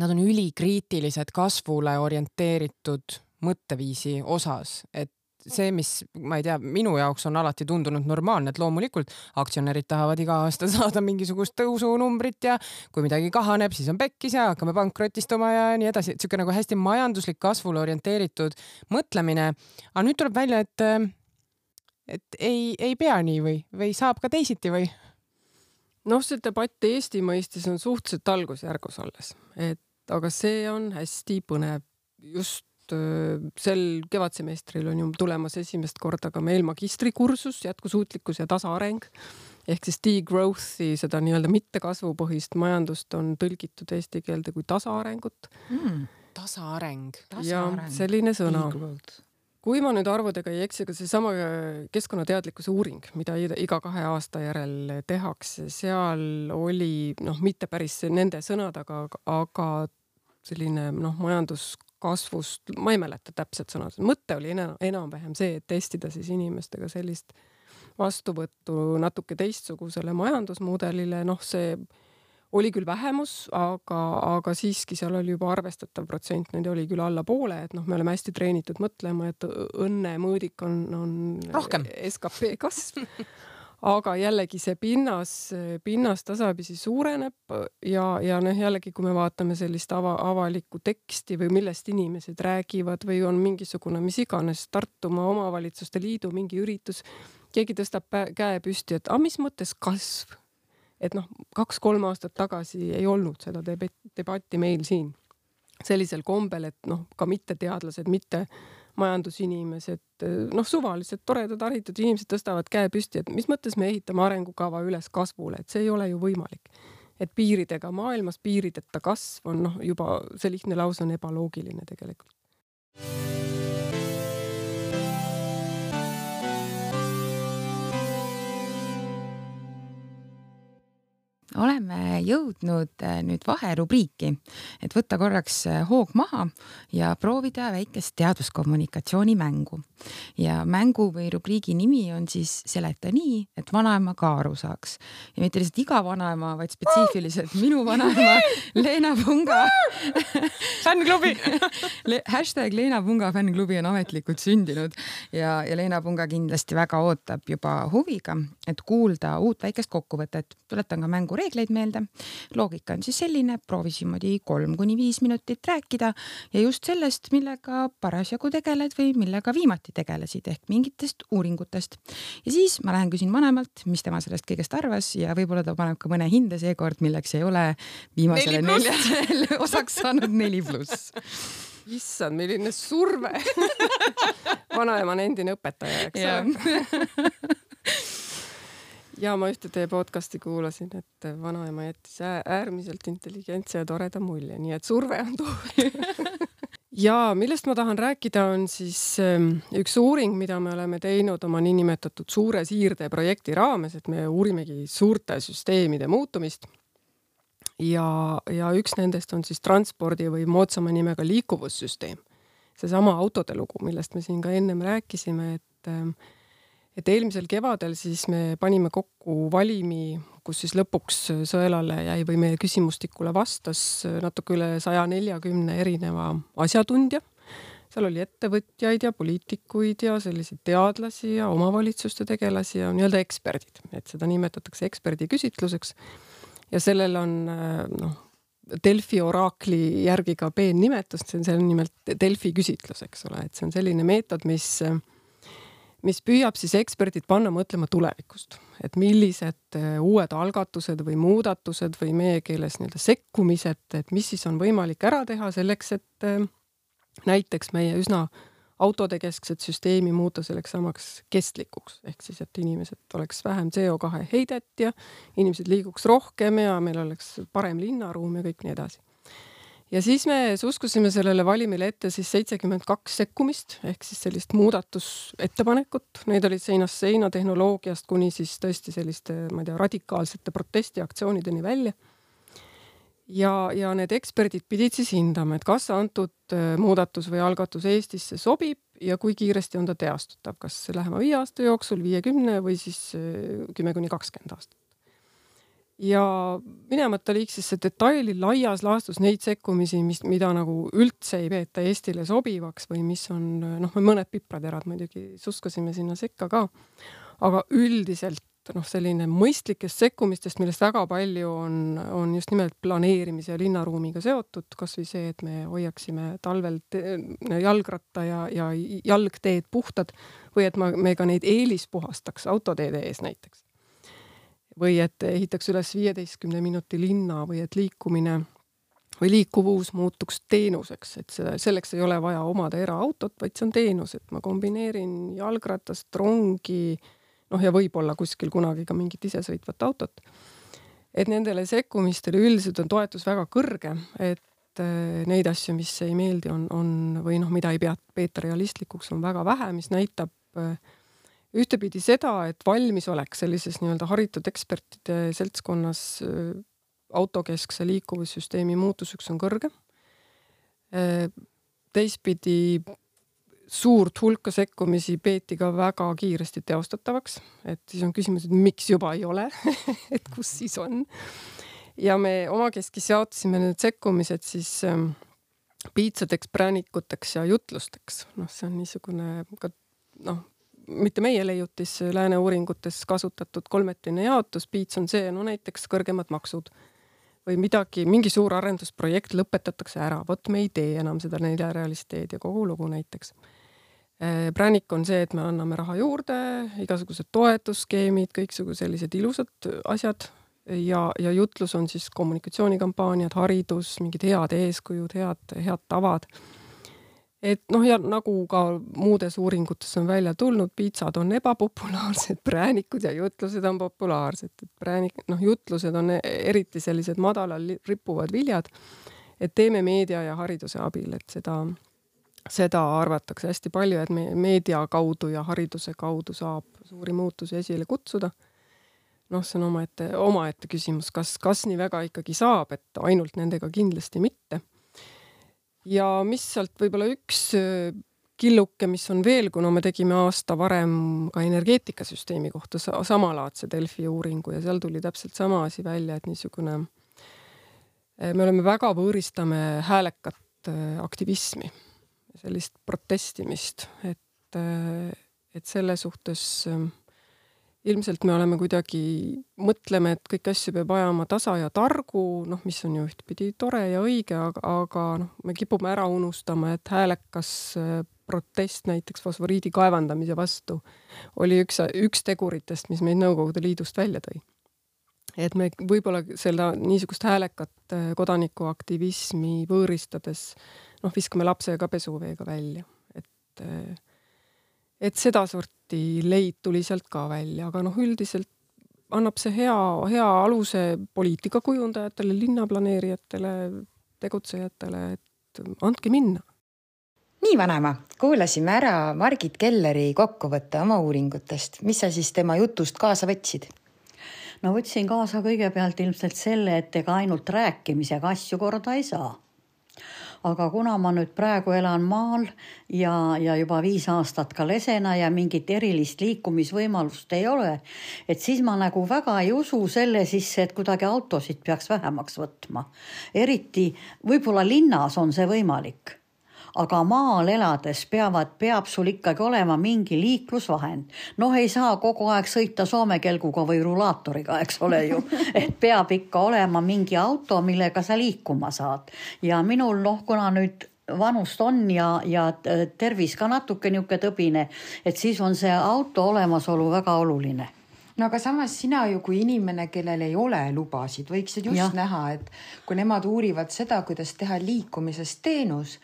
Nad on ülikriitilised kasvule orienteeritud mõtteviisi osas, et see, mis, ma ei tea, minu jaoks on alati tundunud normaalne, et loomulikult aktsionärid tahavad iga aasta saada mingisugust tõusunumbrit ja kui midagi kahaneb, siis on pekkis ja hakkame pankrotistuma ja nii edasi. Siuke nagu hästi majanduslik kasvule orienteeritud mõtlemine. Aga nüüd tuleb välja, et, et ei, ei pea nii või, või saab ka teisiti või? Noh, see debatt Eesti mõistis on suhteliselt algusjärgus alles, et aga see on hästi põnev. Just sel kevadsemestril on ju tulemas esimest korda ka meil magistrikursus jätkusuutlikkus ja tasaareng ehk siis degrowthi, seda nii-öelda mittekasvupõhist majandust on tõlgitud eesti keelde kui tasaarengut. Mm, tasaareng. Ja selline sõna. Kui ma nüüd arvudega ei eksi, aga see sama keskkonnateadlikkuse uuring, mida iga kahe aasta järel tehakse, seal oli noh, mitte päris nende sõnad, aga, aga selline noh, majandus kasvust, ma ei mäleta täpselt sõnad. Mõtte oli enam, enam-vähem see, et testida siis inimestega sellist vastuvõttu natuke teistsugusele majandusmudelile. Noh, see oli küll vähemus, aga, aga siiski seal oli juba arvestatav protsent, need oli küll alla poole, et noh, me oleme hästi treenitud mõtlema, et õnne mõõdik on, on rohkem S K P kasv. Aga jällegi see pinnas, pinnas tasapisi suureneb ja, ja noh, jällegi kui me vaatame sellist ava, avalikku teksti või millest inimesed räägivad või on mingisugune, mis iganes Tartumaa omavalitsuste liidu mingi üritus, keegi tõstab käe püsti, et a, mis mõttes kasv? Et noh, kaks-kolm aastat tagasi ei olnud seda debatti meil siin sellisel kombel, et noh, ka mitte teadlased, mitte majandusinimesed, noh, suvalised, toredad, haritud inimesed tõstavad käe püsti, et mis mõttes me ehitame arengukava üles kasvule, et see ei ole ju võimalik. Et piiridega maailmas, piirideta kasv on noh, juba see lihtne lause on ebaloogiline tegelikult. Oleme jõudnud nüüd vaherubriiki, et võtta korraks hoog maha ja proovida väikest teaduskommunikatsiooni mängu. Ja mängu või rubriigi nimi on siis Seleta nii, et vanaema ka aru saaks. Ja mitte lihtsalt iga vanaema, vaid spetsiifiliselt minu vanaema Leena Punga. Fännklubi! Hashtag Leena Punga fännklubi on ametlikult sündinud ja, ja Leena Punga kindlasti väga ootab juba huviga, et kuulda uut väikest kokkuvõtet. Tuletan ka mängu reegleid meelde. Loogika on siis selline, proovis niimoodi kolm kuni viis minutit rääkida ja just sellest, millega parasjagu tegeled või millega viimati tegelesid ehk mingitest uuringutest. Ja siis ma lähen küsin vanemalt, mis tema sellest kõigest arvas ja võib-olla ta paneb ka mõne hinde seekord, milleks ei ole viimasele neljasele osaks saanud neli pluss. Issand, milline surve. Vanaema on endine õpetaja, eks ole. Ja ma ühte teie podcasti kuulasin, et vanaema jättis äärmiselt intelligentse ja toreda mulje, nii et surve on toodud. Ja millest ma tahan rääkida on siis üks uuring, mida me oleme teinud oma niinimetatud suure siirde projekti raames, et me uurimegi suurte süsteemide muutumist. Ja, ja üks nendest on siis transpordi või moodsama nimega liikuvussüsteem. Seesama autode lugu, millest me siin ka ennem rääkisime, et Et eelmisel kevadel siis me panime kokku valimi, kus siis lõpuks Sõelale jäi või meie küsimustikule vastas natuke üle saja neljakümne erineva asjatundja. Seal oli ettevõtjaid ja poliitikuid ja selliseid teadlasi ja omavalitsuste tegelasi ja nii-öelda eksperdid. Et seda nimetatakse eksperdi küsitluseks. Ja sellel on noh, Delfi oraakli järgi ka peennimetust, see on selle nimelt Delfi küsitlus, eks ole. Et see on selline meetod, mis mis püüab siis eksperdid panna mõtlema tulevikust, et millised uued algatused või muudatused või meie keeles nii-öelda sekkumised, et mis siis on võimalik ära teha selleks, et, näiteks meie üsna autode keskset süsteemi muuta selleks samaks kestlikuks, ehk siis, et inimesed oleks vähem C O kahe heidet ja inimesed liiguks rohkem ja meil oleks parem linnaruum ja kõik nii edasi. Ja siis me suskusime sellele valimile ette siis seitsekümmend kaks sekkumist, ehk siis sellist muudatusettepanekut. Neid olid seinast seina tehnoloogiast kuni siis tõesti selliste, ma ei tea, radikaalsete protestiaktsioonideni välja. Ja, ja need eksperdid pidid siis hindama, et kas antud muudatus või algatus Eestisse sobib ja kui kiiresti on ta teostatav, kas lähema viie aasta jooksul, viiekümne või siis kümme kuni kakskümmend aastat. Ja minemata liiksesse detaili laias laastus neid sekkumisi, mis, mida nagu üldse ei peeta Eestile sobivaks või mis on, noh, mõned pipraterad muidugi suskasime sinna sekka ka, aga üldiselt noh, selline mõistlikest sekkumistest, millest väga palju on, on just nimelt planeerimise ja linnaruumiga seotud, kas või see, et me hoiaksime talvel jalgratta ja, ja jalgteed puhtad või et me ka neid eelispuhastaks autoteede ees näiteks. Või et ehitaks üles viieteistkümne minuti linna või et liikumine või liikuvus muutuks teenuseks, et seda, selleks ei ole vaja omada eraautot, vaid see on teenus, et ma kombineerin jalgratast, rongi, noh ja võib-olla kuskil kunagi ka mingit isesõitvat autot. Et nendele sekkumistele üldiselt on toetus väga kõrge, et neid asju, mis ei meeldi, on, on või noh, mida ei pea peeta realistlikuks, on väga vähe, mis näitab ühtepidi seda, et valmis oleks sellises nii-öelda haritud ekspertide seltskonnas autokeskse liikuvussüsteemi muutuseks on kõrge. Teistpidi suurt hulka sekkumisi peeti ka väga kiiresti teostatavaks, et siis on küsimus, et miks juba ei ole, et kus siis on. Ja me omakeskis jaotasime need sekkumised siis ähm, piitsadeks, präänikuteks ja jutlusteks. Noh, see on niisugune, ka, noh, mitte meie leiutis lääne uuringutes kasutatud kolmetrine jaotus, piits on see, no näiteks kõrgemad maksud või midagi, mingi suur arendusprojekt lõpetatakse ära, vot me ei tee enam seda neljarealist teed ja kogu lugu näiteks. Präänik on see, et me anname raha juurde, igasugused toetusskeemid, kõiksugu sellised ilusad asjad ja, ja jutlus on siis kommunikatsioonikampaaniad, haridus, mingid head eeskujud, head, head tavad. Et noh, ja nagu ka muudes uuringutes on välja tulnud, piitsad on ebapopulaarsed, präänikud ja jutlused on populaarsed. Et präänik, noh, jutlused on eriti sellised madalal rippuvad viljad, et teeme meedia ja hariduse abil, et seda, seda arvatakse hästi palju, et me meedia kaudu ja hariduse kaudu saab suuri muutusi esile kutsuda. Noh, see on omaette, omaette küsimus, kas, kas nii väga ikkagi saab, et ainult nendega kindlasti mitte. Ja mis sealt võib-olla üks killuke, mis on veel, kuna me tegime aasta varem ka energeetikasüsteemi kohta samalaadse Delfi uuringu ja seal tuli täpselt sama asi välja, et niisugune, me oleme väga võõristame häälekat aktivismi, sellist protestimist, et, et selle suhtes ilmselt me oleme kuidagi, mõtleme, et kõik asju peab ajama tasa ja targu, noh, mis on ju ühtpidi tore ja õige, aga, aga noh, me kipume ära unustama, et häälekas protest näiteks fosforiidi kaevandamise vastu oli üks, üks teguritest, mis meid Nõukogude Liidust välja tõi. Et me võib-olla selle niisugust häälekat kodanikuaktivismi võõristades, noh, viskame lapse ka pesuveega välja, et et seda sorti leid tuli sealt ka välja, aga noh, üldiselt annab see hea, hea aluse poliitikakujundajatele, linnaplaneerijatele, tegutsejatele, et andke minna. Nii vanema, kuulasime ära Margit Kelleri kokkuvõtte oma uuringutest. Mis sa siis tema jutust kaasa võtsid? No võtsin kaasa kõigepealt ilmselt selle, et ega ainult rääkimisega asju korda ei saa. Aga kuna ma nüüd praegu elan maal ja, ja juba viis aastat ka lesena ja mingit erilist liikumisvõimalust ei ole, et siis ma nagu väga ei usu selle sisse, et kuidagi autosid peaks vähemaks võtma. Eriti võib-olla linnas on see võimalik. Aga maal elades peavad, peab sul ikkagi olema mingi liiklusvahend. Noh, ei saa kogu aeg sõita soomekelguga või rulaatoriga, eks ole ju. Et peab ikka olema mingi auto, millega sa liikuma saad. Ja minul, noh, kuna nüüd vanust on ja, ja tervis ka natuke niuke tõbine, et siis on see auto olemasolu väga oluline. No aga samas sina ju kui inimene, kellel ei ole lubasid, võiksid just ja. näha, et kui nemad uurivad seda, kuidas teha liikumisest teenus,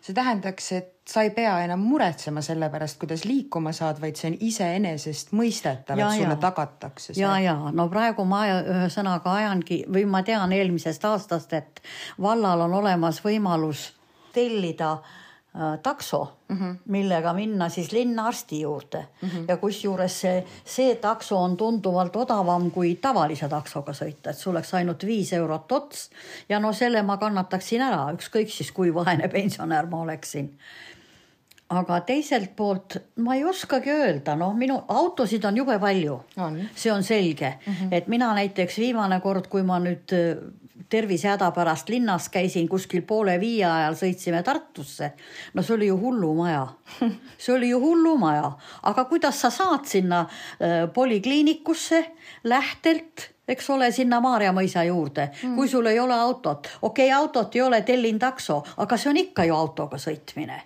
see tähendaks, et sa ei pea enam muretsema selle pärast, kuidas liikuma saad, vaid see on iseenesest mõistetav, et sulle tagatakse see. Ja, ja, no praegu ma ühe sõnaga ajangi, või ma tean eelmisest aastast, et vallal on olemas võimalus tellida äh, takso, mm -hmm. millega minna siis linnaarsti juurde. Mm -hmm. Ja kusjuures see, see takso on tunduvalt odavam kui tavalise taksoga sõita, et sul oleks ainult viis eurot ots ja no selle ma kannataksin ära, ükskõik siis kui vaene pensionär ma oleksin. Aga teiselt poolt ma ei oskagi öelda, noh, minu autosid on jube palju. On. See on selge, mm -hmm. et mina näiteks viimane kord, kui ma nüüd tervisehäda pärast linnas käisin kuskil poole viie ajal, sõitsime Tartusse. No see oli ju hullumaja. See oli ju hullumaja. Aga kuidas sa saad sinna äh, polikliinikusse lähtelt, eks ole, sinna Maarjamõisa juurde, mm. kui sul ei ole autot. Okei, okay, autot ei ole, tellin takso, aga see on ikka ju autoga sõitmine.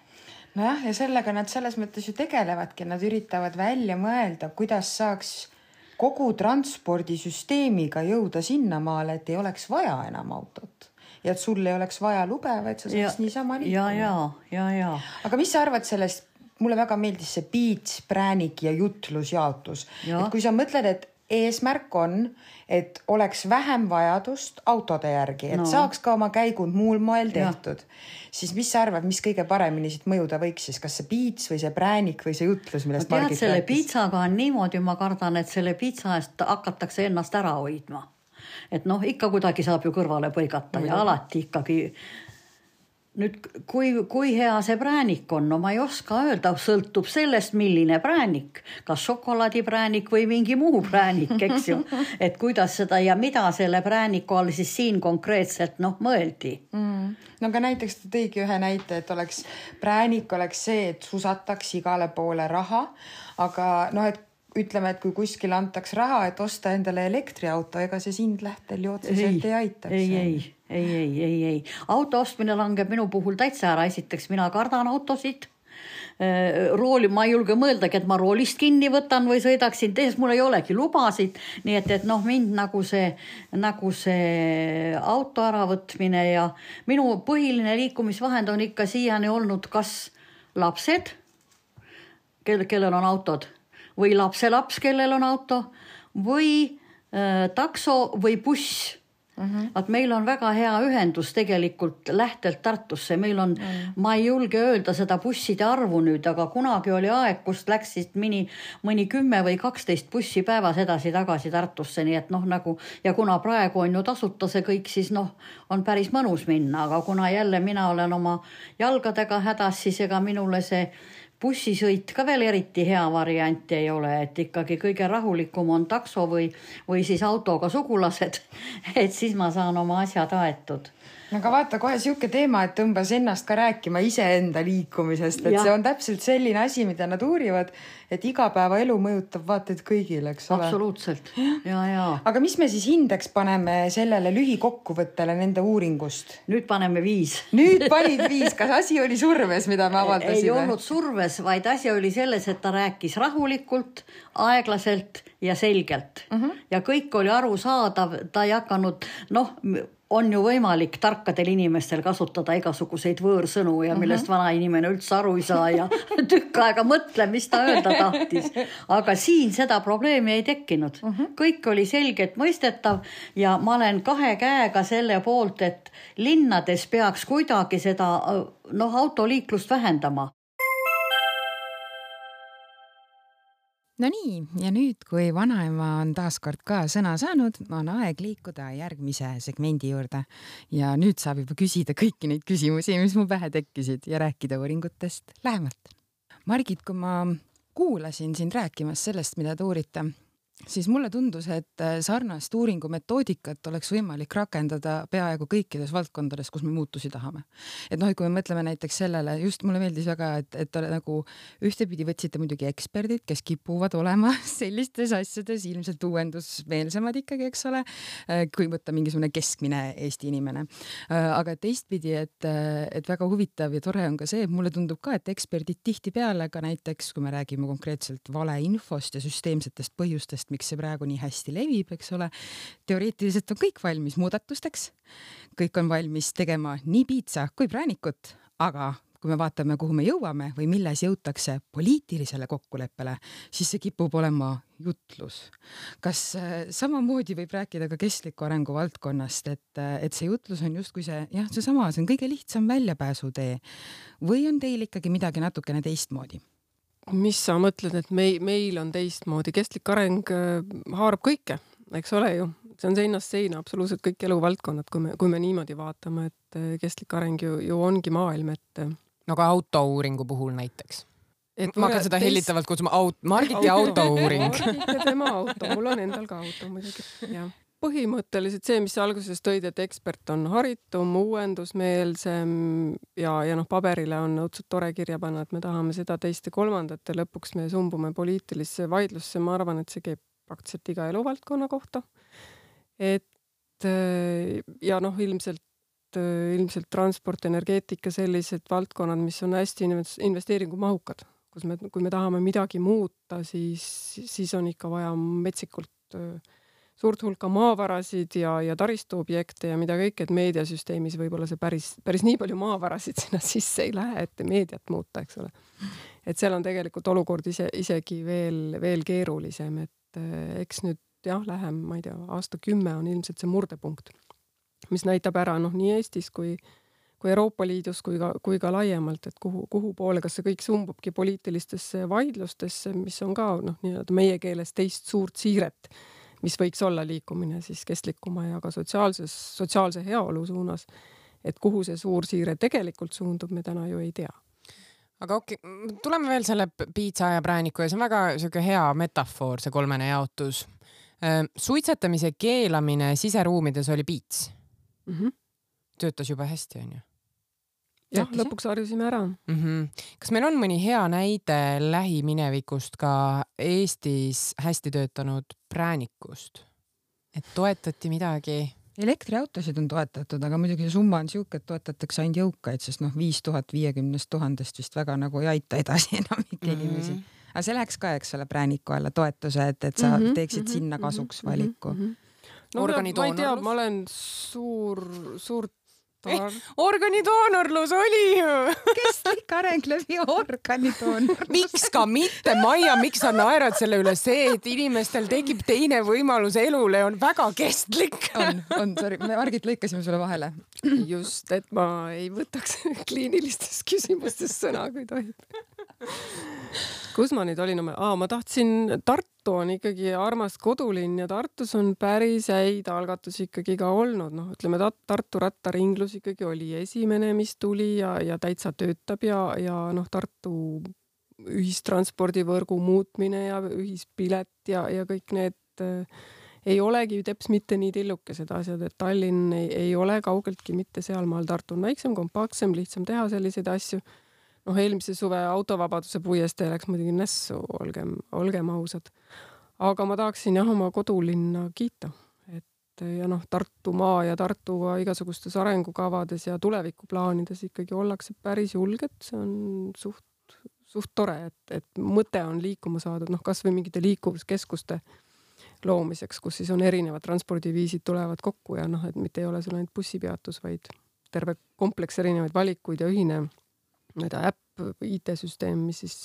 Nojah, ja sellega nad selles mõttes ju tegelevadki, nad üritavad välja mõelda, kuidas saaks kogu transpordisüsteemiga jõuda sinnamaale, et ei oleks vaja enam autot ja et sul ei oleks vaja lube, vaid sa saaks niisama liikuma. Ja, ja, ja, ja. Aga mis sa arvad sellest, mulle väga meeldis see piits, präänik ja jutlusjaotus. Ja. Et kui sa mõtled, et eesmärk on, et oleks vähem vajadust autode järgi, et no. saaks ka oma käigud muul moel tehtud, ja. siis mis sa arvad, mis kõige paremini siit mõjuda võiks siis, kas see piits või see präänik või see jutlus, millest no, tead, Margit selle rääkis? Piitsaga on niimoodi, ma kardan, et selle piitsa eest hakatakse ennast ära hoidma. Et noh, ikka kuidagi saab ju kõrvale põigata ja alati ikkagi. Nüüd, kui, kui hea see präänik on, no ma ei oska öelda, sõltub sellest, milline präänik, kas šokolaadipräänik või mingi muu präänik, eks ju, et kuidas seda ja mida selle prääniku all siis siin konkreetselt noh mõeldi. Mm. No aga näiteks ta tõigi ühe näite, et oleks präänik oleks see, et susataks igale poole raha, aga noh, et ütleme, et kui kuskil antaks raha, et osta endale elektriauto, ega see sind lähtel ju otseselt ei, ei aitaks. Ei, ei, ei, ei, ei, ei. Auto ostmine langeb minu puhul täitsa ära. Esiteks mina kardan autosid. Rooli, ma ei julge mõeldagi, et ma roolist kinni võtan või sõidaksin, tehes mul ei olegi lubasid. Nii et, et noh, mind nagu see, nagu see auto äravõtmine ja minu põhiline liikumisvahend on ikka siiani olnud kas lapsed, kel, kellel on autod, või lapselaps, kellel on auto, või äh, takso või buss. Mm-hmm. Et meil on väga hea ühendus tegelikult lähtelt Tartusse. Meil on, mm. ma ei julge öelda seda busside arvu nüüd, aga kunagi oli aeg, kust läksid mõni, mõni kümme või kaksteist bussi päevas edasi tagasi Tartusse. Nii et noh, nagu, ja kuna praegu on ju tasuta see kõik, siis noh, on päris mõnus minna. Aga kuna jälle mina olen oma jalgadega hädas, siis ega minule see bussisõit ka veel eriti hea variant ei ole, et ikkagi kõige rahulikum on takso või, või siis autoga sugulased, et siis ma saan oma asjad aetud. Aga vaata kohe siuke teema, et tõmbas ennast ka rääkima iseenda liikumisest, et ja. see on täpselt selline asi, mida nad uurivad, et igapäeva elu mõjutab vaated kõigile, eks ole? Absoluutselt, ja, ja. Aga mis me siis hindeks paneme sellele lühikokkuvõttele nende uuringust? Nüüd paneme viis. Nüüd panid viis, kas asi oli surves, mida me avaldasime? Ei olnud surves, vaid asi oli selles, et ta rääkis rahulikult, aeglaselt ja selgelt. Uh-huh. Ja kõik oli arusaadav, ta ei hakanud, noh, on ju võimalik tarkadel inimestel kasutada igasuguseid võõrsõnu ja millest uh-huh. vana inimene üldse aru ei saa ja tükk aega mõtle, mis ta öelda tahtis. Aga siin seda probleemi ei tekkinud. Uh-huh. Kõik oli selgelt mõistetav ja ma olen kahe käega selle poolt, et linnades peaks kuidagi seda noh, autoliiklust vähendama. No nii, ja nüüd, kui vanaema on taaskord ka sõna saanud, on aeg liikuda järgmise segmendi juurde. Ja nüüd saab juba küsida kõiki neid küsimusi, mis mu pähe tekkisid ja rääkida uuringutest lähemalt. Margit, kui ma kuulasin sind rääkimas sellest, mida te uurite, siis mulle tundus, et sarnast uuringu metoodikat oleks võimalik rakendada peaaegu kõikides valdkondades, kus me muutusi tahame. Et noh, kui me mõtleme näiteks sellele, just mulle meeldis väga, et, et nagu ühtepidi võtsite muidugi eksperdid, kes kipuvad olema sellistes asjades ilmselt uuendusmeelsemad ikkagi, eks ole, kui võtta mingisugune keskmine Eesti inimene. Aga teistpidi, et, et väga huvitav ja tore on ka see, et mulle tundub ka, et eksperdid tihti peale ka näiteks, kui me räägime konkreetselt valeinfost ja süsteemsetest põhjustest, miks see praegu nii hästi levib, eks ole. Teoreetiliselt on kõik valmis muudatusteks. Kõik on valmis tegema nii piitsa kui präänikut, aga kui me vaatame, kuhu me jõuame või milles jõutakse poliitilisele kokkuleppele, siis see kipub olema jutlus. Kas samamoodi võib rääkida ka kestliku arengu valdkonnast, et, et see jutlus on justkui see, jah, see sama, see on kõige lihtsam väljapääsutee või on teil ikkagi midagi natukene teistmoodi? Mis sa mõtled, et meil, meil on teistmoodi? Kestlik areng haarab kõike, eks ole ju. See on seinast seina absoluutselt kõik eluvaldkonnad, kui me, kui me niimoodi vaatame, et kestlik areng ju, ju ongi maailm, et... No ka autouuringu puhul näiteks. Et ma hakkan seda teist... hellitavalt kutsuma aut... Margiti autouuring. Margit ja tema auto, mul on endal ka auto muidugi. Ja. Põhimõtteliselt see, mis alguses tõid, et ekspert on haritum, uuendusmeelsem ja, ja noh, paberile on õudselt tore kirja panna, et me tahame seda teist ja kolmandat ja lõpuks me sumbume poliitilisse vaidlusse. Ma arvan, et see käib praktiliselt iga eluvaldkonna kohta. Et ja noh, ilmselt, ilmselt transport, energeetika, sellised valdkonnad, mis on hästi investeeringumahukad, kus me, kui me tahame midagi muuta, siis, siis on ikka vaja metsikult suurt hulka maavarasid ja, ja taristuobjekte ja mida kõik, et meediasüsteemis võib-olla see päris, päris nii palju maavarasid sinna sisse ei lähe, et meediat muuta, eks ole. Et seal on tegelikult olukord ise, isegi veel, veel keerulisem, et eks nüüd jah, lähem, ma ei tea, aasta kümme on ilmselt see murdepunkt, mis näitab ära noh, nii Eestis kui, kui Euroopa Liidus kui ka, kui ka laiemalt, et kuhu, kuhu poole, kas see kõik sumbubki poliitilistesse vaidlustesse, mis on ka noh, nii-öelda meie keeles teist suurt siiret, mis võiks olla liikumine siis kestlikuma ja ka sotsiaalses, sotsiaalse heaolu suunas. Et kuhu see suur siire tegelikult suundub, me täna ju ei tea. Aga okei, tuleme veel selle piitsa ja prääniku ja see on väga selline hea metafoor, see kolmene jaotus. Suitsetamise keelamine siseruumides oli piits. Mm-hmm. Töötas juba hästi, on ju? Jah, lõpuks harjusime ära. Mm-hmm. Kas meil on mõni hea näide lähiminevikust ka Eestis hästi töötanud präänikust? Et toetati midagi? Elektriautosid on toetatud, aga muidugi see summa on siuke, et toetatakse ainult jõukaid, sest noh, viis tuhat viiekümnest tuhandest vist väga nagu ei aita edasi enam ikka inimesi. Mm-hmm. Aga see läheks ka, eks ole, prääniku alla toetuse, et, et sa mm-hmm, teeksid mm-hmm, sinna kasuks mm-hmm, valiku. Mm-hmm. No, ma ei tea, ma olen suur, suur Eh, organidoonorlus oli ju. Kestlik areng läbi organidoonorlus. Miks ka mitte, Maia, miks sa naerad selle üle? See, et inimestel tekib teine võimalus elule, on väga kestlik. On, on, sorry, me Margit lõikasime sulle vahele. Just, et ma ei võtaks kliinilistes küsimustes sõna, kui tohib. Kus ma nüüd olin? Aa, ma tahtsin, Tartu on ikkagi armas kodulinn ja Tartus on päris häid algatusi ikkagi ka olnud. No, ütleme, Tartu rattaringlus ikkagi oli esimene, mis tuli ja, ja täitsa töötab ja, ja noh, Tartu ühistranspordivõrgu muutmine ja ühispilet ja, ja kõik need äh, ei olegi teps mitte nii tillukesed asjad, et Tallinn ei, ei ole kaugeltki mitte sealmaal. Tartu on väiksem, kompaktsem, lihtsam teha selliseid asju. Noh, eelmise suve autovabaduse puiestee läks muidugi nässu, olgem, olgem ausad. Aga ma tahaksin jah oma kodulinna kiita. Et, ja noh, Tartumaa ja Tartuga igasugustes arengukavades ja tulevikuplaanides ikkagi ollakse päris julged. See on suht, suht tore, et, et mõte on liikuma saadud, noh, kas või mingite liikuvuskeskuste loomiseks, kus siis on erinevad transpordiviisid tulevad kokku ja noh, et mitte ei ole sul ainult bussipeatus, vaid terve kompleks erinevaid valikuid ja ühine mida äpp, I T-süsteem, mis siis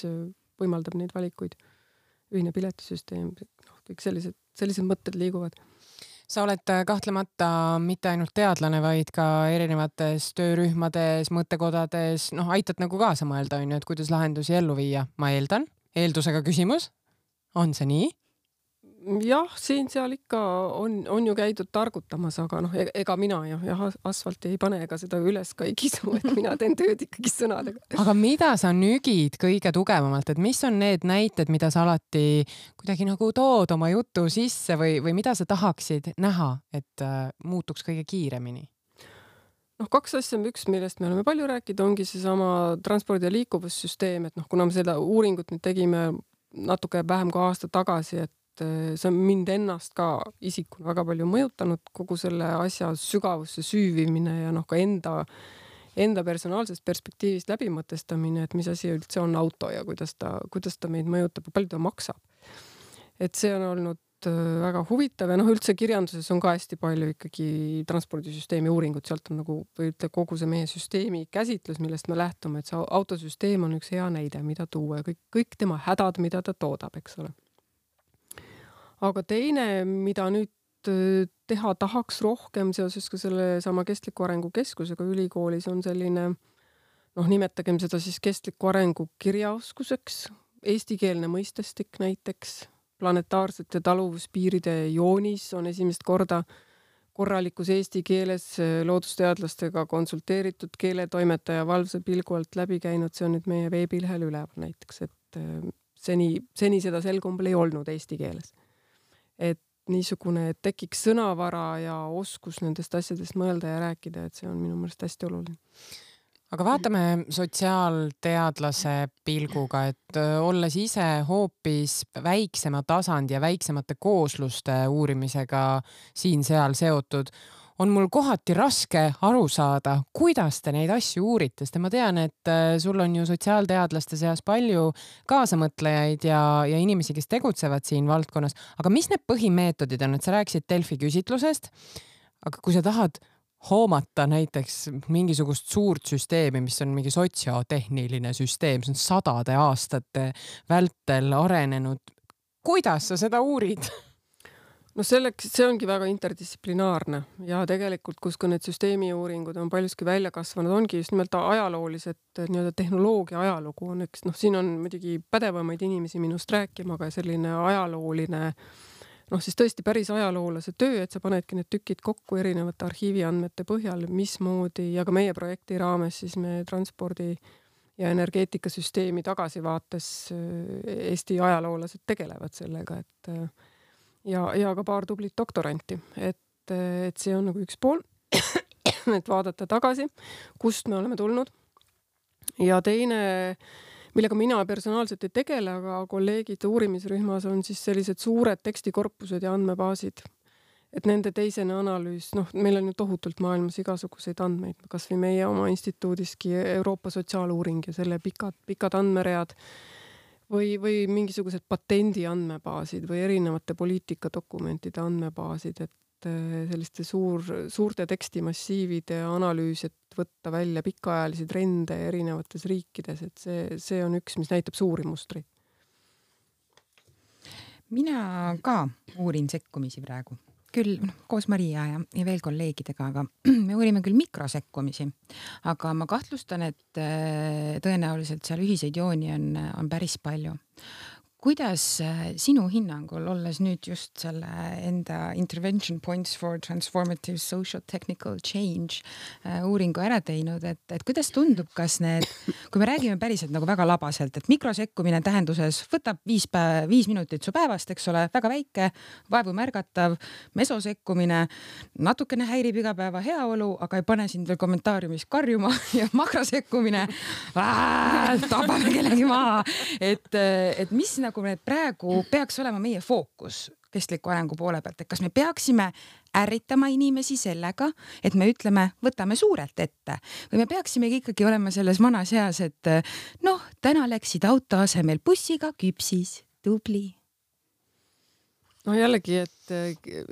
võimaldab neid valikuid, ühine piletisüsteem, noh, kõik sellised, sellised mõtted liiguvad. Sa oled kahtlemata mitte ainult teadlane, vaid ka erinevates töörühmades, mõttekodades, noh, aitad nagu kaasa mõelda, on ju, et kuidas lahendusi ellu viia. Ma eeldan, eeldusega küsimus, on see nii? Jah, siin seal ikka on, on ju käidud targutamas, aga noh, ega mina ja, ja asfalti ei pane ega seda üles ka ei kisu, et mina teen tööd ikkagi sõnadega. Aga mida sa nügid kõige tugevamalt, et mis on need näited, mida sa alati kuidagi nagu tood oma jutu sisse või, või mida sa tahaksid näha, et äh, muutuks kõige kiiremini? noh, kaks asja, üks, millest me oleme palju rääkinud, ongi see sama transpordi- ja liikuvussüsteem, et noh, kuna me seda uuringut nüüd tegime natuke vähem kui aasta tagasi, et see on mind ennast ka isikuna väga palju mõjutanud, kogu selle asja sügavusse süüvimine ja noh, ka enda, enda personaalsest perspektiivist läbimõtestamine, et mis asi üldse on auto ja kuidas ta, kuidas ta meid mõjutab ja palju ta maksab. Et see on olnud väga huvitav ja noh, üldse kirjanduses on ka hästi palju ikkagi transpordisüsteemi uuringut, sealt on nagu, või ütle kogu see meie süsteemi käsitlus, millest me lähtume, et see autosüsteem on üks hea näide, mida tuua ja kõik, kõik tema hädad, mida ta toodab, eks ole. Aga teine, mida nüüd teha tahaks rohkem seoses ka selle sama kestliku arengu keskusega ülikoolis on selline, noh, nimetagem seda siis kestliku arengu kirjaoskuseks, eestikeelne mõistestik näiteks, planetaarsete taluvuspiiride joonis on esimest korda korralikus eesti keeles loodusteadlastega konsulteeritud keeletoimetaja valvse pilgu alt läbi käinud, see on nüüd meie veebilehel üleval näiteks, et seni, seni seda selgumbel ei olnud eesti keeles. Et niisugune, et tekiks sõnavara ja oskus nendest asjadest mõelda ja rääkida, et see on minu meelest hästi oluline. Aga vaatame sotsiaalteadlase pilguga, et olles ise hoopis väiksema tasandi ja väiksemate koosluste uurimisega siin-seal seotud, on mul kohati raske aru saada, kuidas te neid asju uurite, sest ma tean, et sul on ju sotsiaalteadlaste seas palju kaasamõtlejaid ja, ja inimesi, kes tegutsevad siin valdkonnas. Aga mis need põhimeetodid on, et sa rääkisid Delfi küsitlusest, aga kui sa tahad hoomata näiteks mingisugust suurt süsteemi, mis on mingi sotsiotehniline süsteem, see on sadade aastate vältel arenenud. Kuidas sa seda uurid? No selleks, see ongi väga interdistsiplinaarne ja tegelikult, kus ka need süsteemiuuringud on paljuski välja kasvanud, ongi just nimelt ajaloolised nii-öelda tehnoloogia ajalugu on üks, noh, siin on muidugi pädevamaid inimesi minust rääkima, aga selline ajalooline noh, siis tõesti päris ajaloolase töö, et sa panedki need tükid kokku erinevate arhiiviandmete põhjal, mismoodi ja ka meie projekti raames siis me transpordi ja energeetikasüsteemi tagasivaates Eesti ajaloolased tegelevad sellega, et ja, ja ka paar tublit doktoranti, et, et see on nagu üks pool, et vaadata tagasi, kust me oleme tulnud. Ja teine millega mina personaalselt ei tegele, aga kolleegid uurimisrühmas on siis sellised suured tekstikorpused ja andmebaasid. Et nende teisene analüüs, noh, meil on ju tohutult maailmas igasuguseid andmeid, kas või meie oma instituudiski Euroopa sotsiaaluuring ja selle pikad, pikad andmeread või, või mingisugused patendi andmebaasid või erinevate poliitikadokumentide andmebaasid, et selliste suur, suurte tekstimassiivide analüüs, et võtta välja pikaajalisi trende erinevates riikides, et see, see on üks, mis näitab suuri mustreid. Mina ka uurin sekkumisi praegu. Küll koos Maria ja, ja veel kolleegidega, aga me uurime küll mikrosekkumisi, aga ma kahtlustan, et tõenäoliselt seal ühiseid jooni on, on päris palju. Kuidas sinu hinnangul, olles nüüd just selle enda Intervention Points for Transformative Social Technical Change uuringu ära teinud, et, et kuidas tundub, kas need, kui me räägime päriselt nagu väga labaselt, et mikrosekkumine tähenduses võtab viis, päev, viis minutit su päevast, eks ole, väga väike, vaevu märgatav, mesosekkumine, natukene häirib igapäeva heaolu, aga ei pane sind veel kommentaariumis karjuma ja makrosekkumine, tapame kellegi maha, et, et mis nagu kui need praegu peaks olema meie fookus kestliku arengu poole pealt, et kas me peaksime ärritama inimesi sellega, et me ütleme, võtame suurelt ette või me peaksimegi ikkagi olema selles vanas eas, et noh, täna läksid auto asemel bussiga küpsis, tubli. No jällegi, et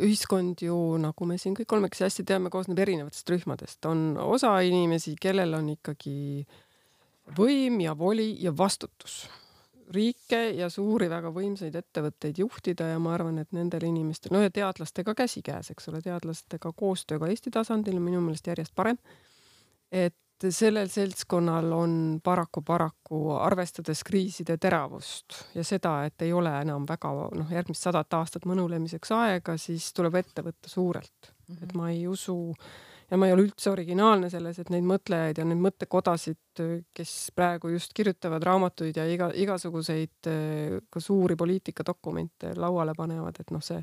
ühiskond ju, nagu me siin kõik kolmekesi hästi teame, koosneb erinevatest rühmadest. On osa inimesi, kellel on ikkagi võim ja voli ja vastutus riike ja suuri väga võimsaid ettevõtteid juhtida ja ma arvan, et nendel inimestel, no ja teadlastega käsikäes, eks ole, teadlastega koostööga Eesti tasandil on minu meelest järjest parem, et sellel seltskonnal on paraku paraku arvestades kriiside teravust ja seda, et ei ole enam väga noh, järgmist sadat aastat mõnulemiseks aega, siis tuleb ette võtta suurelt. Mm-hmm. Et ma ei usu ja ma ei ole üldse originaalne selles, et neid mõtlejaid ja neid mõttekodasid, kes praegu just kirjutavad raamatuid ja iga, igasuguseid ka suuri poliitikadokumente lauale panevad, et noh, see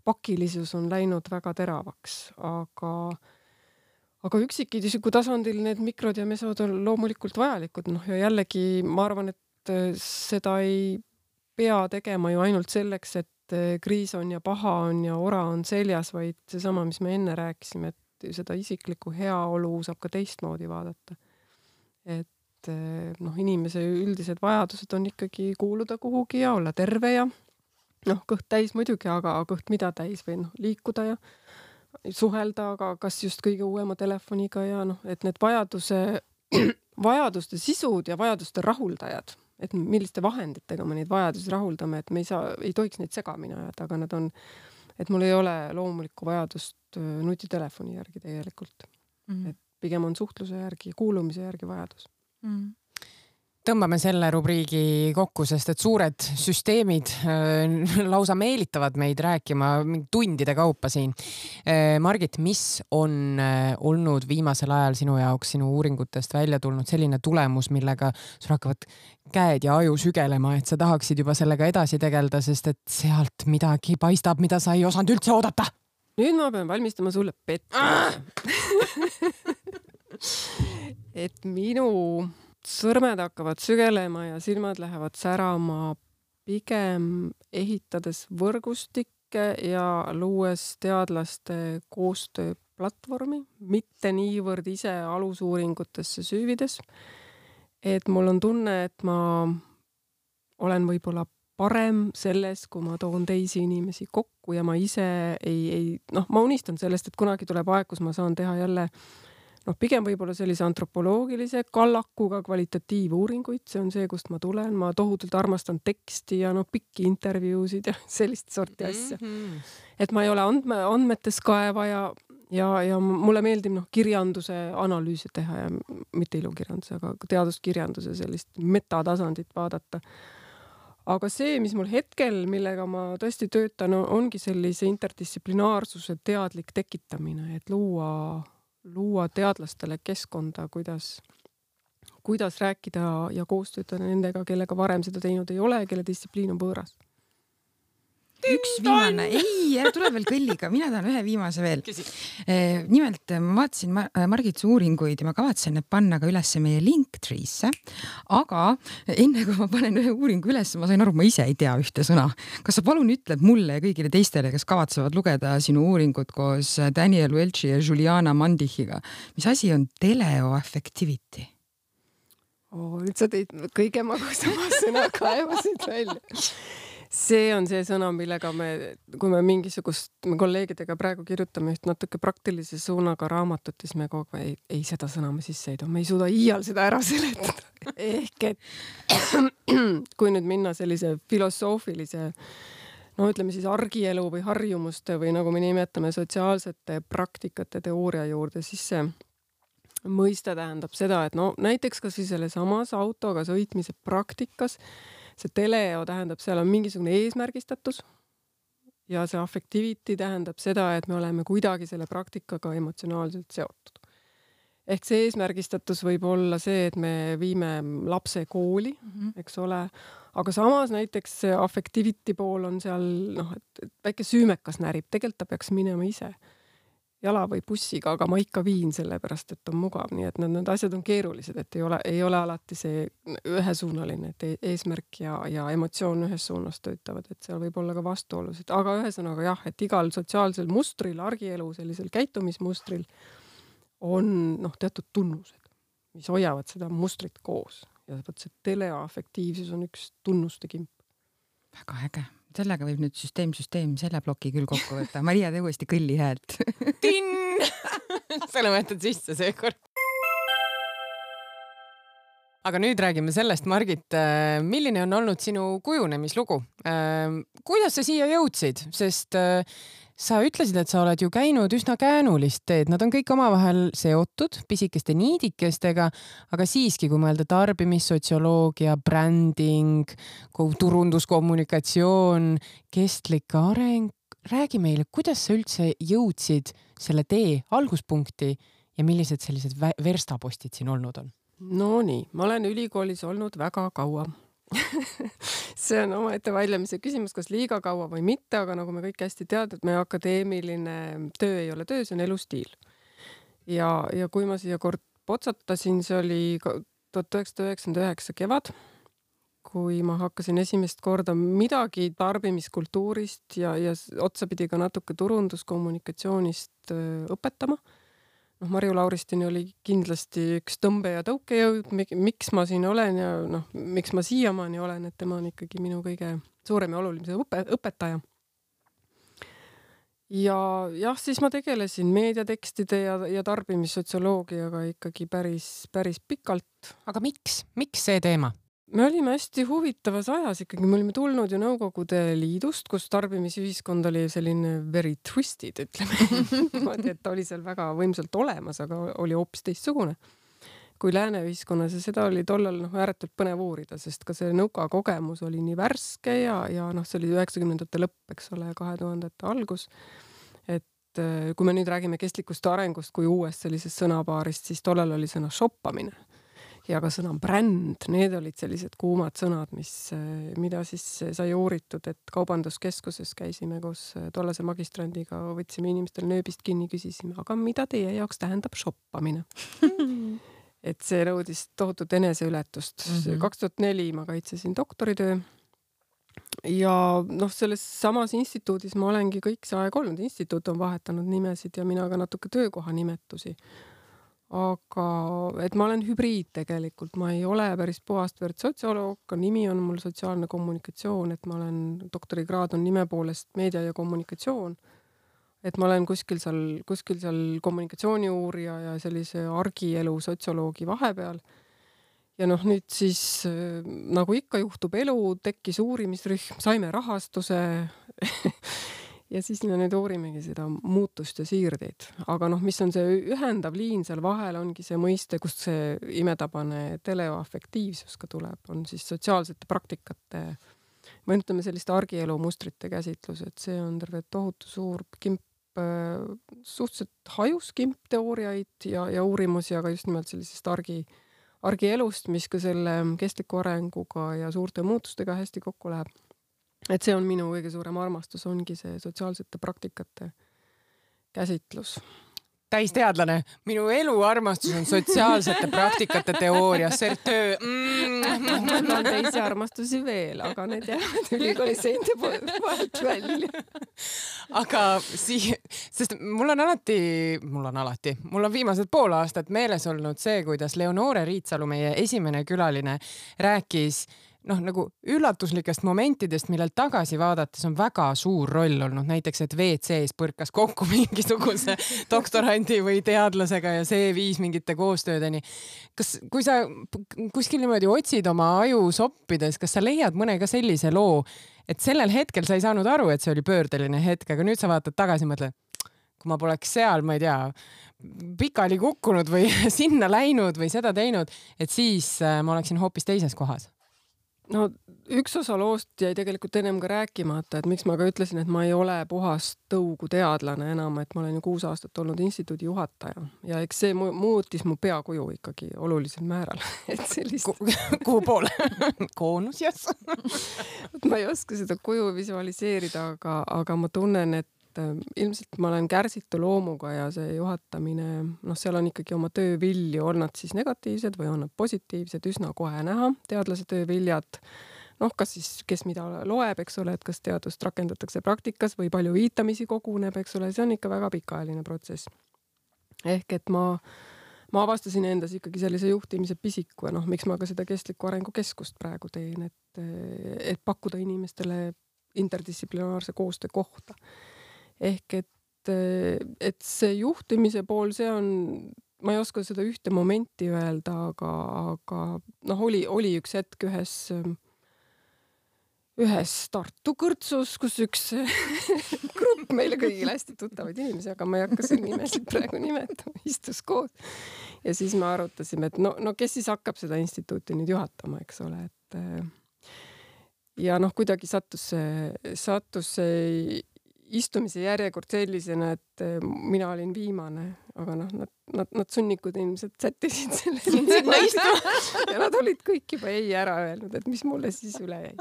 pakilisus on läinud väga teravaks, aga, aga üksikisiku tasandil need mikrod ja mesod on loomulikult vajalikud. Noh, ja jällegi ma arvan, et seda ei pea tegema ju ainult selleks, et kriis on ja paha on ja ora on seljas, vaid seesama, mis me enne rääkisime, et seda isiklikku heaolu saab ka teistmoodi vaadata. Et noh, inimese üldised vajadused on ikkagi kuuluda kuhugi ja olla terve ja noh, kõht täis muidugi, aga kõht mida täis või noh, liikuda ja suhelda, aga kas just kõige uuema telefoniga ja noh, et need vajaduse, vajaduste sisud ja vajaduste rahuldajad, et milliste vahenditega me neid vajadusi rahuldame, et me ei saa, ei tohiks neid segamini ajada, aga nad on, et mul ei ole loomulikku vajadust nutitelefoni järgi tegelikult. Mm. Et pigem on suhtluse järgi, kuulumise järgi vajadus. Mm. Tõmbame selle rubriigi kokku, sest et suured süsteemid äh, lausa meelitavad meid rääkima tundide kaupa siin. Äh, Margit, mis on äh, olnud viimasel ajal sinu jaoks, sinu uuringutest välja tulnud selline tulemus, millega sul hakkavad käed ja aju sügelema, et sa tahaksid juba sellega edasi tegeleda, sest et sealt midagi paistab, mida sa ei osanud üldse oodata? Nüüd ma pean valmistama sulle pettumuse. Et minu sõrmed hakkavad sügelema ja silmad lähevad särama pigem ehitades võrgustikke ja luues teadlaste koostööplatvormi, mitte niivõrd ise alusuuringutesse süüvides. Et mul on tunne, et ma olen võib-olla parem selles, kui ma toon teisi inimesi kokku ja ma ise ei, ei noh, ma unistan sellest, et kunagi tuleb aeg, kus ma saan teha jälle noh, pigem võib-olla sellise antropoloogilise kallakuga kvalitatiivuuringuid, see on see, kust ma tulen, ma tohutult armastan teksti ja noh, pikki intervjuusid ja sellist sorti asja. Mm-hmm. Et ma ei ole andme, andmetes kaeva ja, ja, ja mulle meeldib noh, kirjanduse analüüse teha ja mitte ilukirjanduse, aga teaduskirjanduse sellist metatasandit vaadata. Aga see, mis mul hetkel, millega ma tõesti töötan, ongi sellise interdistsiplinaarsuse teadlik tekitamine, et luua luua teadlastele keskkonda, kuidas, kuidas rääkida ja koostööda nendega, kellega varem seda teinud ei ole, kelle distsipliin on võõras. Üks viimane, ei, ära tule veel kõlliga, mina tahan ühe viimase veel. Eh, nimelt ma vaatasin Margit uuringuid ja ma kavatsen need panna ka üles meie Linktree'sse, aga enne kui ma panen ühe uuringu üles, ma sain aru, ma ise ei tea ühte sõna. Kas sa palun ütled mulle ja kõigile teistele, kes kavatsevad lugeda sinu uuringut koos Daniel Welchi ja Juliana Mandichiga, mis asi on teleoaffectivity? Oh, nüüd sa teid kõige magusama sõna kaevasid välja. See on see sõna, millega me, kui me mingisugust me kolleegidega praegu kirjutame üht natuke praktilise suunaga raamatut, siis me kogu aeg ei, ei seda sõna me sisse ei too. Me ei suuda iial seda ära seletada. Ehk et kui nüüd minna sellise filosoofilise, no ütleme siis argielu või harjumuste või nagu me nimetame sotsiaalsete praktikate teooria juurde, siis see mõiste tähendab seda, et no näiteks kas siis selle samas autoga sõitmise praktikas see teleo tähendab, seal on mingisugune eesmärgistatus ja see affectivity tähendab seda, et me oleme kuidagi selle praktikaga emotsionaalselt seotud. Ehk see eesmärgistatus võib olla see, et me viime lapse kooli, mm-hmm. eks ole, aga samas näiteks see affectivity pool on seal, noh, et väike süümekas närib, tegelikult ta peaks minema ise jala või bussiga, aga ma ikka viin selle pärast, et on mugav, nii et need, need asjad on keerulised, et ei ole, ei ole alati see ühesuunaline, et eesmärk ja, ja emotsioon ühes suunas töötavad, et seal võib olla ka vastuolusid, aga ühesõnaga jah, et igal sotsiaalsel mustril, argielu sellisel käitumismustril on noh, teatud tunnused, mis hoiavad seda mustrit koos ja võt see teleoaffektiivsus on üks tunnuste kimp. Väga äge. Sellega võib nüüd süsteem, süsteem selle ploki küll kokku võtta. Maria, tee uuesti kõlli häält. Tinn! Selle võtad sisse seekord. Aga nüüd räägime sellest, Margit, milline on olnud sinu kujunemislugu? Kuidas sa siia jõudsid? Sest sa ütlesid, et sa oled ju käinud üsna käänulist teed. Nad on kõik omavahel seotud pisikeste niidikestega, aga siiski, kui mõelda tarbimissotsioloogia, bränding, turunduskommunikatsioon, kestlik areng, räägi meile, kuidas sa üldse jõudsid selle tee alguspunkti ja millised sellised verstapostid siin olnud on? No nii, ma olen ülikoolis olnud väga kaua. See on omaette väljamise küsimus, kas liiga kaua või mitte, aga nagu me kõik hästi tead, et meie akadeemiline töö ei ole töö, see on elustiil. Ja, ja kui ma siia kord potsatasin, see oli tuhat üheksasada üheksakümmend üheksa kevad, kui ma hakkasin esimest korda midagi tarbimiskultuurist ja, ja otsapidi ka natuke turunduskommunikatsioonist õpetama. noh, Marju Lauristini oli kindlasti üks tõmbe- ja tõukejõud, miks ma siin olen ja noh, miks ma siiamaani olen, et tema on ikkagi minu kõige suurem ja olulisem õpe, õpetaja. Ja jah, siis ma tegelesin meediatekstide ja, ja tarbimissotsioloogiaga ikkagi päris, päris pikalt. Aga miks? Miks see teema? Me olime hästi huvitavas ajas ikkagi, me olime tulnud ju Nõukogude Liidust, kus tarbimisühiskond oli selline very twisted, ütleme. et oli seal väga võimsalt olemas, aga oli hoopis teistsugune kui lääne ühiskonnas ja seda oli tollal noh, ääretult põnev uurida, sest ka see nõuka kogemus oli nii värske ja, ja noh, see oli üheksakümnendate lõpp, eks ole, kahe tuhandete algus. Et kui me nüüd räägime kestlikust arengust kui uuest sellisest sõnapaarist, siis tollal oli sõna shoppamine ja ka sõna bränd, need olid sellised kuumad sõnad, mis, mida siis sai uuritud, et kaubanduskeskuses käisime koos tollase magistrandiga, võtsime inimestel nööbist kinni, küsisime, aga mida teie jaoks tähendab shoppamine? Et see nõudis tohutut eneseületust. Mm-hmm. kaks tuhat neli ma kaitsesin doktoritöö ja noh, selles samas instituudis ma olengi kõik see aeg olnud. Instituut on vahetanud nimesid ja mina ka natuke töökoha nimetusi. Aga et ma olen hübriid tegelikult, ma ei ole päris puhast verd sotsioloog, ka nimi on mul sotsiaalne kommunikatsioon, et ma olen, doktorikraad on nime poolest meedia ja kommunikatsioon. Et ma olen kuskil seal, kuskil seal kommunikatsiooni uurija ja sellise argielu sotsioloogi vahepeal. Ja noh, nüüd siis nagu ikka juhtub elu, tekkis uurimisrühm, saime rahastuse ja siis me nüüd uurimegi seda muutust ja siirdeid. Aga noh, mis on see ühendav liin seal vahel, ongi see mõiste, kust see imetabane teleoafektiivsus ka tuleb, on siis sotsiaalsete praktikate, ma ütleme selliste argielu mustrite käsitlus, et see on terve tohutu suur kimp, suhteliselt hajus kimp teooriaid ja, ja uurimusi, aga just nimelt sellisest argi, argielust, mis ka selle kestliku arenguga ja suurte muutustega hästi kokku läheb. Et see on minu kõige suurem armastus, ongi see sotsiaalsete praktikate käsitlus. Täisteadlane, minu elu armastus on sotsiaalsete praktikate teooria, see töö. Mm. Mul on teisi armastusi veel, aga need jäävad ülikooli seinte vahelt välja. Aga sii, sest mul on alati, mul on alati, mul on viimased pool aastat meeles olnud see, kuidas Leonore Riitsalu, meie esimene külaline, rääkis noh, nagu üllatuslikest momentidest, millel tagasi vaadates on väga suur roll olnud. Näiteks, et V C-s põrkas kokku mingisuguse doktorandi või teadlasega ja see viis mingite koostöödeni. Kas, kui sa kuskil niimoodi otsid oma aju soppides, kas sa leiad mõne ka sellise loo, et sellel hetkel sa ei saanud aru, et see oli pöördeline hetk, aga nüüd sa vaatad tagasi ja mõtled, kui ma poleks seal, ma ei tea, pikali kukkunud või sinna läinud või seda teinud, et siis ma oleksin hoopis teises kohas. No üks osa loost jäi tegelikult ennem ka rääkimata, et miks ma ka ütlesin, et ma ei ole puhast tõugu teadlane enam, et ma olen ju kuus aastat olnud instituudi juhataja ja eks see muutis mu peakuju ikkagi olulisel määral. Et sellist... Kuhu poole? Koonus, jas. Ma ei oska seda kuju visualiseerida, aga, aga ma tunnen, et ilmselt ma olen kärsitu loomuga ja see juhatamine, noh, seal on ikkagi oma töövilju, on nad siis negatiivsed või on nad positiivsed, üsna kohe näha, teadlase tööviljad, noh, kas siis, kes mida loeb, eks ole, et kas teadust rakendatakse praktikas või palju viitamisi koguneb, eks ole, see on ikka väga pikaajaline protsess. Ehk et ma, ma avastasin endas ikkagi sellise juhtimise pisiku ja noh, miks ma ka seda kestliku arengu keskust praegu teen, et, et pakkuda inimestele interdistsiplinaarse koostöö kohta. Ehk et, et see juhtimise pool, see on, ma ei oska seda ühte momenti öelda, aga, aga noh, oli, oli üks hetk ühes, ühes Tartu kõrtsus, kus üks grupp meile kõigile hästi tuttavaid inimesi, aga ma ei hakka siin nimesid praegu nimetama, istus koos. Ja siis me arutasime, et no, no kes siis hakkab seda instituuti nüüd juhatama, eks ole, et ja noh, kuidagi sattus see, sattus see istumise järjekord sellisena, et mina olin viimane, aga noh, nad, nad, nad sunnikud ilmselt sättisid selle sinna istuma ja nad olid kõik juba ei ära öelnud, et mis mulle siis üle jäi.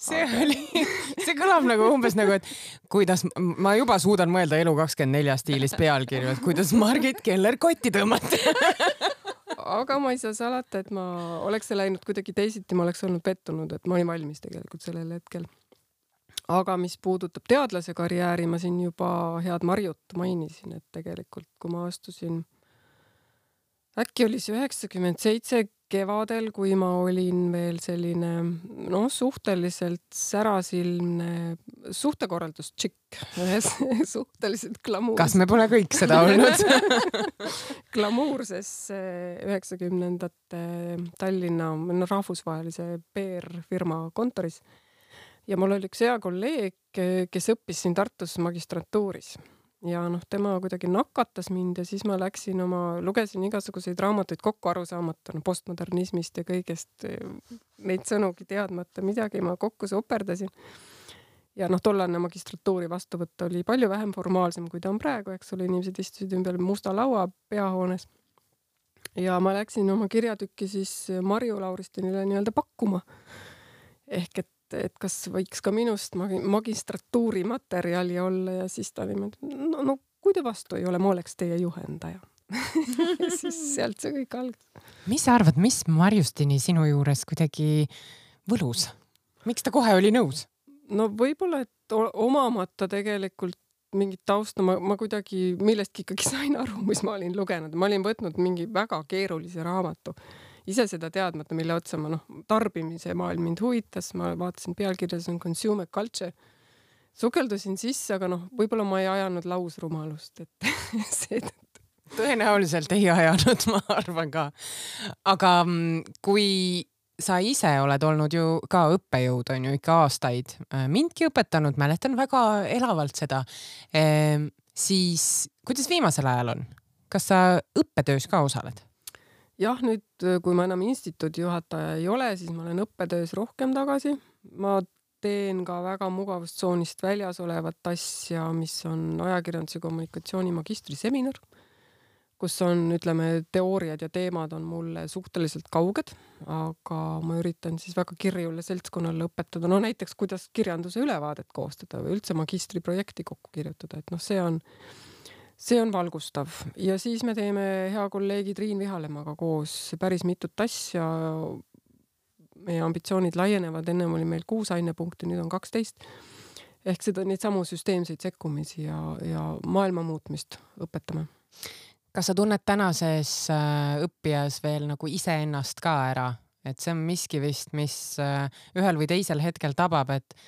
See oli, see kõlab nagu umbes nagu, et kuidas, ma juba suudan mõelda Elu kakskümmend neli stiilis pealkirju, et kuidas Margit Keller kotti tõmmati. Aga ma ei saa salata, et ma oleks läinud kuidagi teisiti, ma oleks olnud pettunud, et ma olin valmis tegelikult sellel hetkel. aga mis puudutab teadlase karjääri, ma siin juba head Marjut mainisin, et tegelikult kui ma astusin, äkki oli see üheksakümmend seitse kevadel, kui ma olin veel selline noh, suhteliselt särasilmne suhtekorraldustšikk, suhteliselt glamuurs. Kas me pole kõik seda olnud? glamuurses üheksakümnendate Tallinna no, rahvusvahelise P R-firma kontoris. Ja mul oli üks hea kolleeg, kes õppis siin Tartus magistratuuris. Ja noh, tema kuidagi nakatas mind ja siis ma läksin oma, lugesin igasuguseid raamatuid kokku arusaamata, no postmodernismist ja kõigest neid sõnugi teadmata midagi ma kokku soperdasin. Ja noh, tollane magistratuuri vastuvõtt oli palju vähem formaalsem, kui ta on praegu, eks ole, inimesed istusid ümber musta laua peahoones. Ja ma läksin oma kirjatükki siis Marju Lauristinile nii-öelda pakkuma. Ehk et et kas võiks ka minust magistratuuri materjali olla ja siis ta niimoodi, no, no kui te vastu ei ole, ma oleks teie juhendaja. Ja siis sealt see kõik algas. Mis sa arvad, mis Marjustini sinu juures kuidagi võlus? Miks ta kohe oli nõus? No võib-olla, et omamata tegelikult mingit tausta, ma, ma kuidagi millestki ikkagi sain aru, mis ma olin lugenud. Ma olin võtnud mingi väga keerulise raamatu. Ise seda teadmata, mille otsa ma noh, tarbimise maailm mind huvitas, ma vaatasin pealkirjas on consumer culture. Sukeldusin sisse, aga noh, võib-olla ma ei ajanud lausrumalust, et see tõenäoliselt ei ajanud, ma arvan ka. Aga kui sa ise oled olnud ju ka õppejõud, on ju ikka aastaid, mindki õpetanud, mäletan väga elavalt seda, e, siis kuidas viimasel ajal on? Kas sa õppetöös ka osaled? Jah, nüüd kui ma enam instituudi juhataja ei ole, siis ma olen õppetöös rohkem tagasi. Ma teen ka väga mugavustsoonist väljas olevat asja, mis on ajakirjanduse kommunikatsiooni magistriseminar, kus on, ütleme, teooriad ja teemad on mulle suhteliselt kauged, aga ma üritan siis väga kirjule seltskonnale õpetada. No näiteks, kuidas kirjanduse ülevaadet koostada või üldse magistriprojekti kokku kirjutada. Et noh, see on See on valgustav ja siis me teeme hea kolleegi Triin Vihalemaga koos päris mitut asja. Meie ambitsioonid laienevad, ennem oli meil kuus ainepunkti, nüüd on kaksteist. Ehk seda neid samu süsteemseid sekkumisi ja, ja maailma muutmist õpetame. Kas sa tunned tänases õppijas veel nagu iseennast ka ära? Et see on miski vist, mis ühel või teisel hetkel tabab, et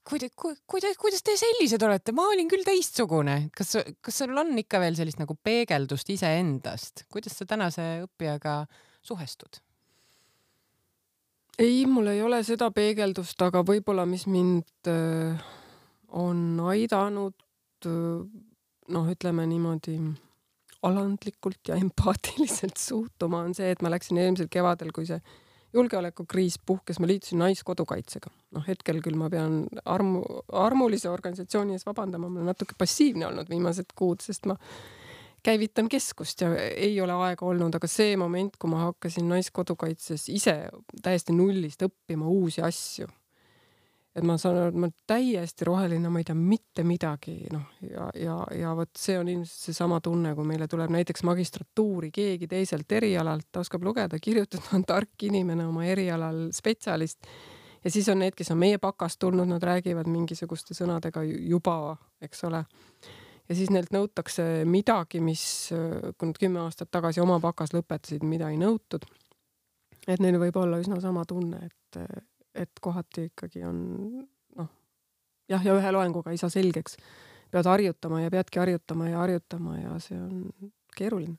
Kuida, kuida, kuidas te sellised olete? Ma olin küll teistsugune. Kas, kas sul on ikka veel sellist nagu peegeldust iseendast? Kuidas sa tänase õppijaga suhestud? Ei, mul ei ole seda peegeldust, aga võib-olla mis mind on aidanud, noh, ütleme niimoodi alandlikult ja empaatiliselt suhtuma, on see, et ma läksin eelmisel kevadel, kui see julgeolekukriis puhkes, ma liitusin Naiskodukaitsega. Noh, hetkel küll ma pean armu, armulise organisatsiooni ees vabandama, ma olen natuke passiivne olnud viimased kuud, sest ma käivitan keskust ja ei ole aega olnud, aga see moment, kui ma hakkasin Naiskodukaitses ise täiesti nullist õppima uusi asju, et ma saan aru, et ma täiesti roheline, ma ei tea mitte midagi, noh, ja, ja, ja võt see on ilmselt see sama tunne, kui meile tuleb näiteks magistratuuri keegi teiselt erialalt, ta oskab lugeda, kirjutada, on tark inimene oma erialal spetsialist ja siis on need, kes on meie pakast tulnud, nad räägivad mingisuguste sõnadega juba, eks ole. Ja siis neilt nõutakse midagi, mis kui nad kümme aastat tagasi oma pakas lõpetasid, mida ei nõutud. Et neil võib olla üsna sama tunne, et et kohati ikkagi on, noh, jah, ja ühe loenguga ei saa selgeks. Pead harjutama ja peadki harjutama ja harjutama ja see on keeruline.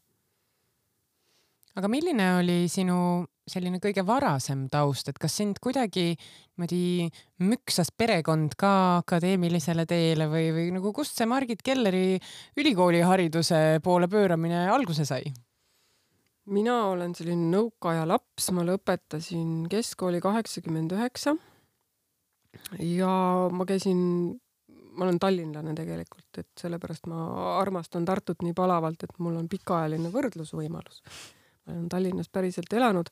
Aga milline oli sinu selline kõige varasem taust, et kas sind kuidagi niimoodi müksas perekond ka akadeemilisele teele või, või nagu kust see Margit Kelleri ülikooli hariduse poole pööramine alguse sai? Mina olen selline nõukaaja laps, ma lõpetasin keskkooli kaheksakümmend üheksa ja ma käisin, ma olen tallinlane tegelikult, et sellepärast ma armastan Tartut nii palavalt, et mul on pikaajaline võrdlusvõimalus. Ma olen Tallinnas päriselt elanud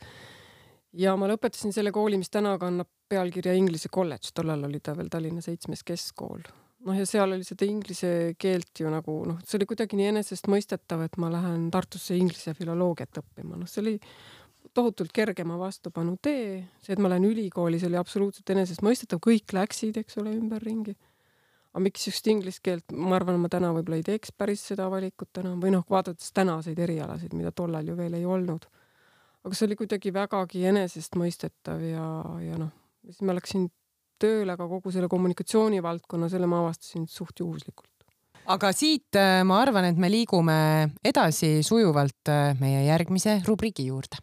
ja ma lõpetasin selle kooli, mis täna kannab pealkirja Inglise kolledž, tollal oli ta veel Tallinna seitsmes keskkool. Noh, ja seal oli seda inglise keelt ju nagu, noh, see oli kuidagi nii enesest mõistetav, et ma lähen Tartusse inglise filoloogiat õppima. Noh, see oli tohutult kergema vastupanu tee. See, et ma lähen ülikoolis, oli absoluutselt enesestmõistetav, kõik läksid, eks ole, ümberringi. Aga miks just inglise keelt, ma arvan, ma täna võib-olla ei teeks päris seda valikut enam või noh, vaadates tänaseid erialasid, mida tollal ju veel ei olnud. Aga see oli kuidagi vägagi enesestmõistetav ja, ja noh, siis ma läksin tööle ka kogu selle kommunikatsioonivaldkonna, selle ma avastasin suht juhuslikult. Aga siit ma arvan, et me liigume edasi sujuvalt meie järgmise rubriigi juurde.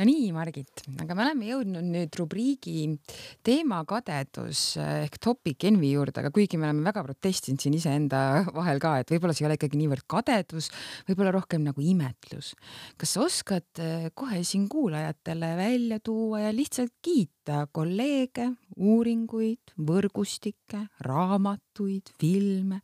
No nii, Margit, aga me oleme jõudnud nüüd rubriigi teema kadedus ehk topic envy juurde, aga kuigi me oleme väga protestinud siin iseenda vahel ka, et võib-olla see ei ole ikkagi niivõrd kadedus, võib-olla rohkem nagu imetlus. Kas sa oskad kohe siin kuulajatele välja tuua ja lihtsalt kiita kolleege, uuringuid, võrgustikke, raamatuid, filme,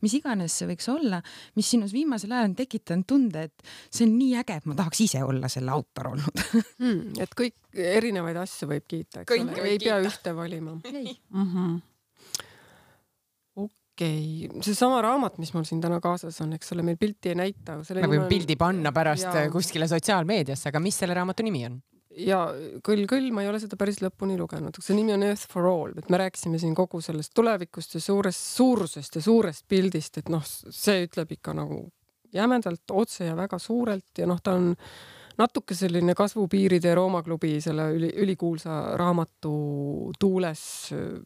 mis iganes see võiks olla, mis sinus viimasel ajal on tekitanud tunde, et see on nii äge, et ma tahaks ise olla selle autor olnud. Hmm, et kõik erinevaid asju võib kiita, eks ole, ei pea ühte valima. Mm-hmm. Okei, okay. See sama raamat, mis mul siin täna kaasas on, eks ole, meil pilti ei näita. Me võime pildi panna pärast ja... kuskile sotsiaalmeediasse, aga mis selle raamatu nimi on? Ja küll, küll ma ei ole seda päris lõpuni lugenud. See nimi on Earth for All, et me rääkisime siin kogu sellest tulevikust ja suurest suurusest ja suurest pildist, et noh, see ütleb ikka nagu jämedalt otse ja väga suurelt ja noh, ta on natuke selline kasvupiiride Rooma klubi selle üli, ülikuulsa raamatu tuules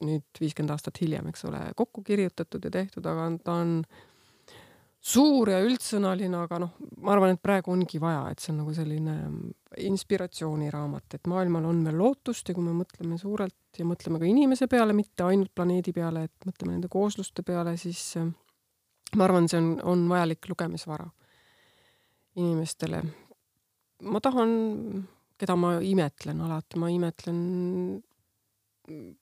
nüüd viiskümmend aastat hiljem, eks ole, kokku kirjutatud ja tehtud, aga ta on suur ja üldsõnaline, aga noh, ma arvan, et praegu ongi vaja, et see on nagu selline inspiratsiooniraamat, et maailmal on veel lootust ja kui me mõtleme suurelt ja mõtleme ka inimese peale, mitte ainult planeedi peale, et mõtleme nende koosluste peale, siis ma arvan, see on, on vajalik lugemisvara inimestele. Ma tahan, keda ma imetlen alati, ma imetlen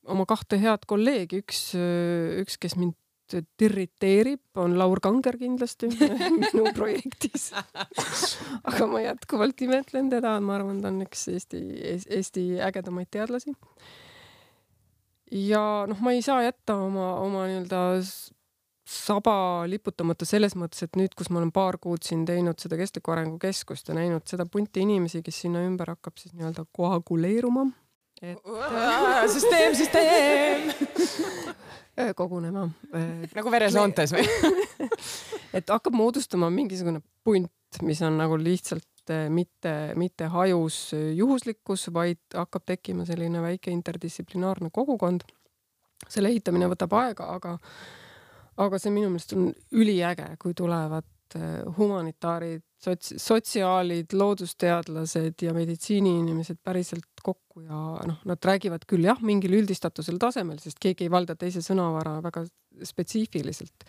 oma kahte head kolleegi, üks, üks, kes mind tirriteerib, on Laur Kanger kindlasti minu projektis. Aga ma jätkuvalt imetlen teda, ma arvan, ta on üks Eesti, Eesti ägedamaid teadlasi. Ja noh, ma ei saa jätta oma, oma nii-öelda saba liputamata selles mõttes, et nüüd, kus ma olen paar kuud siin teinud seda kestliku arengu keskust ja näinud seda punti inimesi, kes sinna ümber hakkab siis nii-öelda koaguleeruma. Et... süsteem, süsteem! kogunema. Nagu veresoontes või? Et hakkab moodustama mingisugune punt, mis on nagu lihtsalt mitte, mitte hajus juhuslikkus, vaid hakkab tekkima selline väike interdistsiplinaarne kogukond. Selle ehitamine võtab aega, aga, aga see minu meelest on üliäge, kui tulevad humanitaarid, sots, sotsiaalid, loodusteadlased ja meditsiiniinimesed päriselt kokku ja noh, nad räägivad küll jah, mingil üldistatusel tasemel, sest keegi ei valda teise sõnavara väga spetsiifiliselt.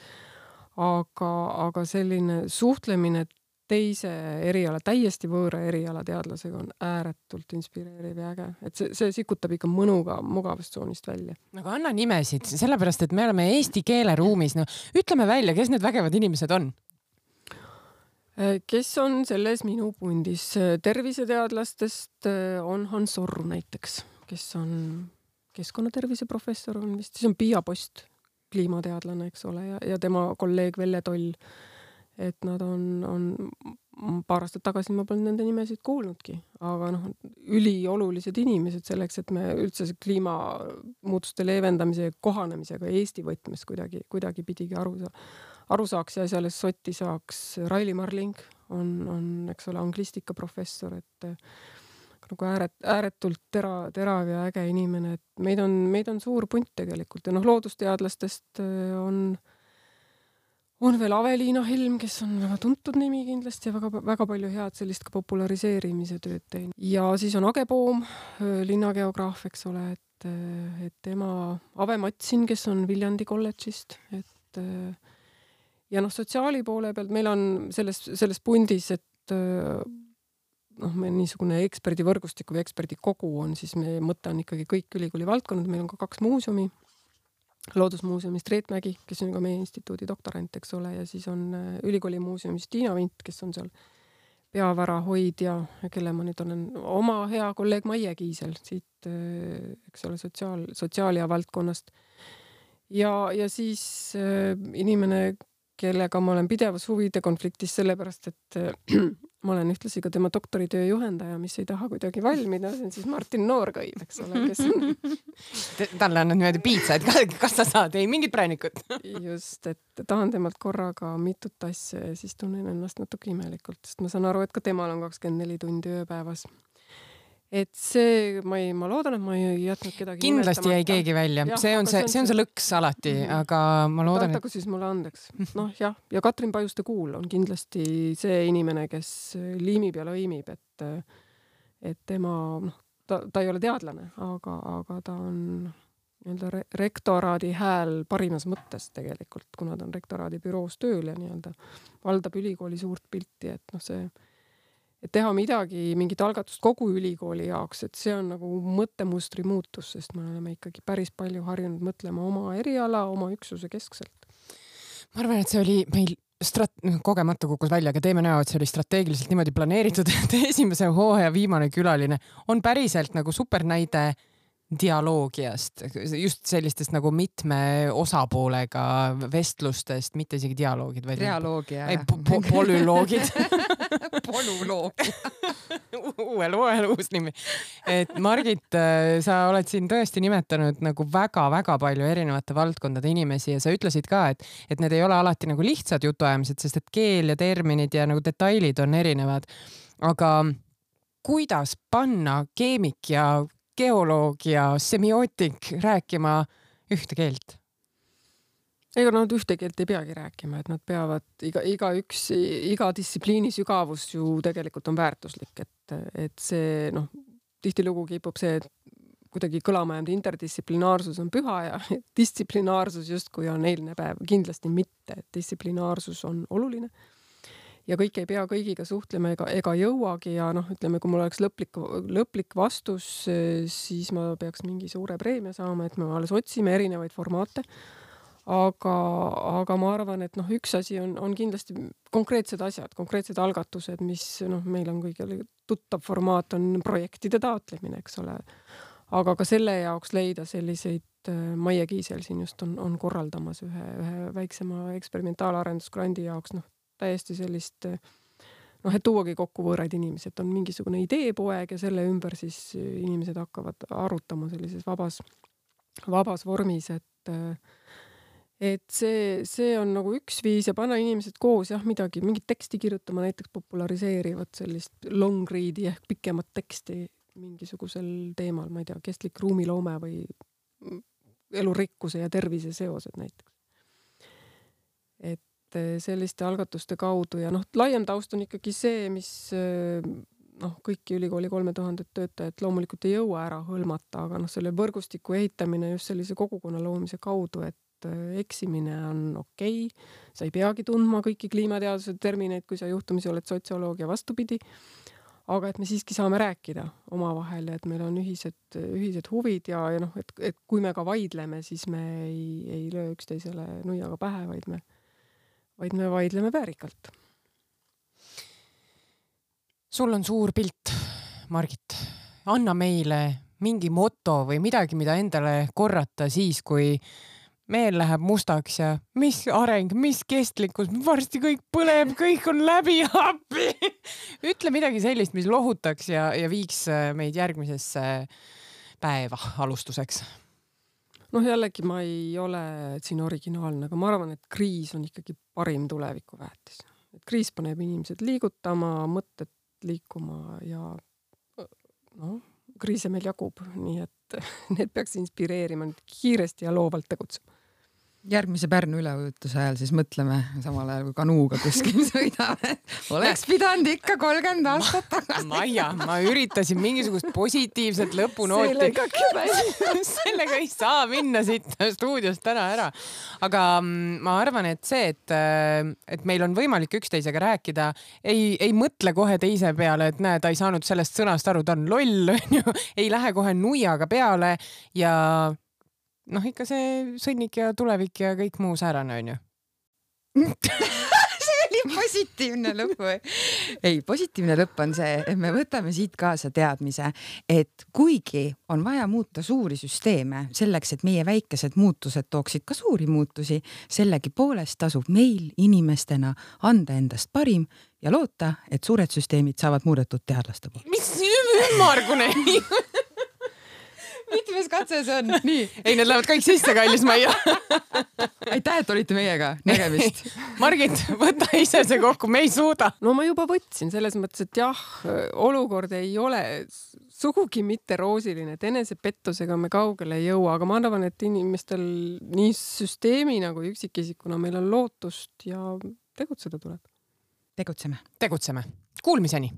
Aga, aga selline suhtlemine teise eriala, täiesti võõra eriala teadlasega on ääretult inspireeriv ja äge. Et see, see sikutab ikka mõnuga mugavustsoonist välja. Nagu anna nimesid, sellepärast, et me oleme eesti keeleruumis. No, ütleme välja, kes need vägevad inimesed on? Kes on selles minu pundis? Terviseteadlastest on Hans Orru näiteks, kes on keskkonnatervise professor, on vist, siis on Pia Post, kliimateadlane, eks ole, ja, ja tema kolleeg Velle Toll. Et nad on, on paar aastat tagasi ma polnud nende nimesid kuulnudki, aga noh, üliolulised inimesed selleks, et me üldse kliimamuutuste leevendamise ja kohanemisega Eesti võtmes kuidagi, kuidagi pidigi aru saa. aru saaks ja asjales sotti saaks. Raili Marling on, on eks ole, anglistika professor, et nagu ääret, ääretult tera, terav ja äge inimene, et meid on, meid on suur punt tegelikult ja noh, loodusteadlastest on, on veel Aveliina Helm, kes on väga tuntud nimi kindlasti ja väga, väga palju head sellist ka populariseerimise tööd teinud. Ja siis on Age Poom, linnageograaf, eks ole, et, et tema Ave Matsin, kes on Viljandi kolledžist, et ja noh, sotsiaali poole pealt meil on selles, selles pundis, et noh, meil niisugune eksperdivõrgustik või eksperdikogu on, siis meie mõte on ikkagi kõik ülikooli valdkonnad. Meil on ka kaks muuseumi, Loodusmuuseumist Reetmägi, kes on ka meie instituudi doktorant, eks ole, ja siis on ülikooli muuseumist Tiina Vint, kes on seal peavara hoidja, kelle ma nüüd olen oma hea kolleeg Maie Kiisel siit, eks ole, sotsiaal, sotsiaalia valdkonnast. ja, ja siis äh, inimene, kellega ma olen pidevas huvide konfliktis sellepärast, et äh, ma olen ühtlasi ka tema doktoritöö juhendaja, mis ei taha kuidagi valmida, see on siis Martin Noorkõiv, eks ole, kes on... Talle annad niimoodi piitsa, et kas sa saad, ei mingit präänikut. Just, et tahan temalt korraga mitut asja ja siis tunnen ennast natuke imelikult, sest ma saan aru, et ka temal on kakskümmend neli tundi ööpäevas. Et see, ma, ei, ma loodan, et ma ei jätnud kedagi kindlasti jäi keegi välja. Ja, see on see, see on see lõks alati, mm -hmm. aga ma loodan, et... siis mulle andeks. Noh, jah. Ja Katrin Pajuste Kuul on kindlasti see inimene, kes liimib ja lõimib, et, et tema, noh, ta, ta ei ole teadlane, aga, aga ta on nii-öelda re rektoraadi hääl parimas mõttes tegelikult, kuna ta on rektoraadi büroos tööl ja nii-öelda valdab ülikooli suurt pilti, et noh, see et teha midagi, mingit algatust kogu ülikooli jaoks, et see on nagu mõttemustri muutus, sest me oleme ikkagi päris palju harjunud mõtlema oma eriala, oma üksuse keskselt. Ma arvan, et see oli meil strat- kogemata kukkus välja, aga teeme näo, et see oli strateegiliselt niimoodi planeeritud, et esimese hooaja viimane külaline on päriselt nagu supernäide dialoogiast, just sellistest nagu mitme osapoolega vestlustest, mitte isegi dialoogid, vaid dialoogia. Ei, po polüloogid. Polüloogia. Uuel uuel uus nimi. Et Margit, sa oled siin tõesti nimetanud nagu väga-väga palju erinevate valdkondade inimesi ja sa ütlesid ka, et, et need ei ole alati nagu lihtsad jutuajamised, sest et keel ja terminid ja nagu detailid on erinevad. Aga kuidas panna keemik ja geoloog ja semiootik rääkima ühte keelt? Ega nad ühte keelt ei peagi rääkima, et nad peavad iga, iga üks, iga distsipliini sügavus ju tegelikult on väärtuslik, et, et see, noh, tihtilugu kipub see, et kuidagi kõlama jäänud interdistsiplinaarsus on püha ja distsiplinaarsus justkui on eilne päev. Kindlasti mitte, et distsiplinaarsus on oluline. Ja kõik ei pea kõigiga suhtlema ega, ega jõuagi ja noh, ütleme, kui mul oleks lõplik, lõplik vastus, siis ma peaks mingi suure preemia saama, et me alles otsime erinevaid formaate. Aga, aga ma arvan, et noh, üks asi on, on kindlasti konkreetsed asjad, konkreetsed algatused, mis noh, meil on kõigil tuttav formaat on projektide taotlemine, eks ole. Aga ka selle jaoks leida selliseid, Maie Kiisel siin just on, on korraldamas ühe, ühe väiksema eksperimentaalarendusgrandi jaoks, noh, täiesti sellist, noh, et tuuagi kokku võõraid inimesed, on mingisugune ideepoeg ja selle ümber siis inimesed hakkavad arutama sellises vabas, vabas vormis, et, et see, see on nagu üks viis ja panna inimesed koos, jah, midagi, mingit teksti kirjutama, näiteks populariseerivad sellist long read'i ehk pikemat teksti mingisugusel teemal, ma ei tea, kestlik ruumiloome või elurikkuse ja tervise seosed näiteks. Et selliste algatuste kaudu ja noh, laiem taust on ikkagi see, mis noh, kõiki ülikooli kolme tuhandet töötajat loomulikult ei jõua ära hõlmata, aga noh, selle võrgustiku ehitamine just sellise kogukonna loomise kaudu, et eksimine on okei, sa ei peagi tundma kõiki kliimateaduse termineid, kui sa juhtumisi oled sotsioloog ja vastupidi, aga et me siiski saame rääkida omavahel, et meil on ühised, ühised huvid ja, ja noh, et, et kui me ka vaidleme, siis me ei, ei löö üksteisele nuiaga pähe, vaid me vaid me vaidleme väärikalt. Sul on suur pilt, Margit. Anna meile mingi moto või midagi, mida endale korrata siis, kui meel läheb mustaks ja mis areng, mis kestlikkus, varsti kõik põleb, kõik on läbi appi. Ütle midagi sellist, mis lohutaks ja, ja viiks meid järgmisesse päeva alustuseks. Noh, jällegi ma ei ole siin originaalne, aga ma arvan, et kriis on ikkagi parim tuleviku väärtis. Et kriis paneb inimesed liigutama, mõtted liikuma ja noh, kriise meil jagub, nii et need peaks inspireerima kiiresti ja loovalt tegutsema. Järgmise Pärnu üleujutuse ajal siis mõtleme samal ajal, kui kanuuga kuskil sõidame. Oleks pidanud ikka kolmkümmend aastat tagasi. Maia, ma üritasin mingisugust positiivset lõpunooti. Sellega, Sellega ei saa minna siit stuudiost täna ära. Aga ma arvan, et see, et, et meil on võimalik üksteisega rääkida, ei, ei mõtle kohe teise peale, et näe, ta ei saanud sellest sõnast aru, ta on loll, ei lähe kohe nuiaga peale ja noh, ikka see sõnnik ja tulevik ja kõik muu säärane on ju. See oli positiivne lõpp või? Ei, positiivne lõpp on see, et me võtame siit kaasa teadmise, et kuigi on vaja muuta suuri süsteeme selleks, et meie väikesed muutused tooksid ka suuri muutusi, sellegi poolest tasub meil inimestena anda endast parim ja loota, et suured süsteemid saavad muudetud teadlaste poolt. Mis ümmargune? Mitmes katse see on? Nii. Ei, need lähevad kõik sisse, kallis Maia. Aitäh, et olite meiega. Nägemist. Margit, võta ise see kokku, me ei suuda. No ma juba võtsin selles mõttes, et jah, olukord ei ole sugugi mitte roosiline, et enesepettusega me kaugele ei jõua, aga ma arvan, et inimestel nii süsteemi nagu üksikisikuna meil on lootust ja tegutseda tuleb. Tegutseme. Tegutseme. Kuulmiseni.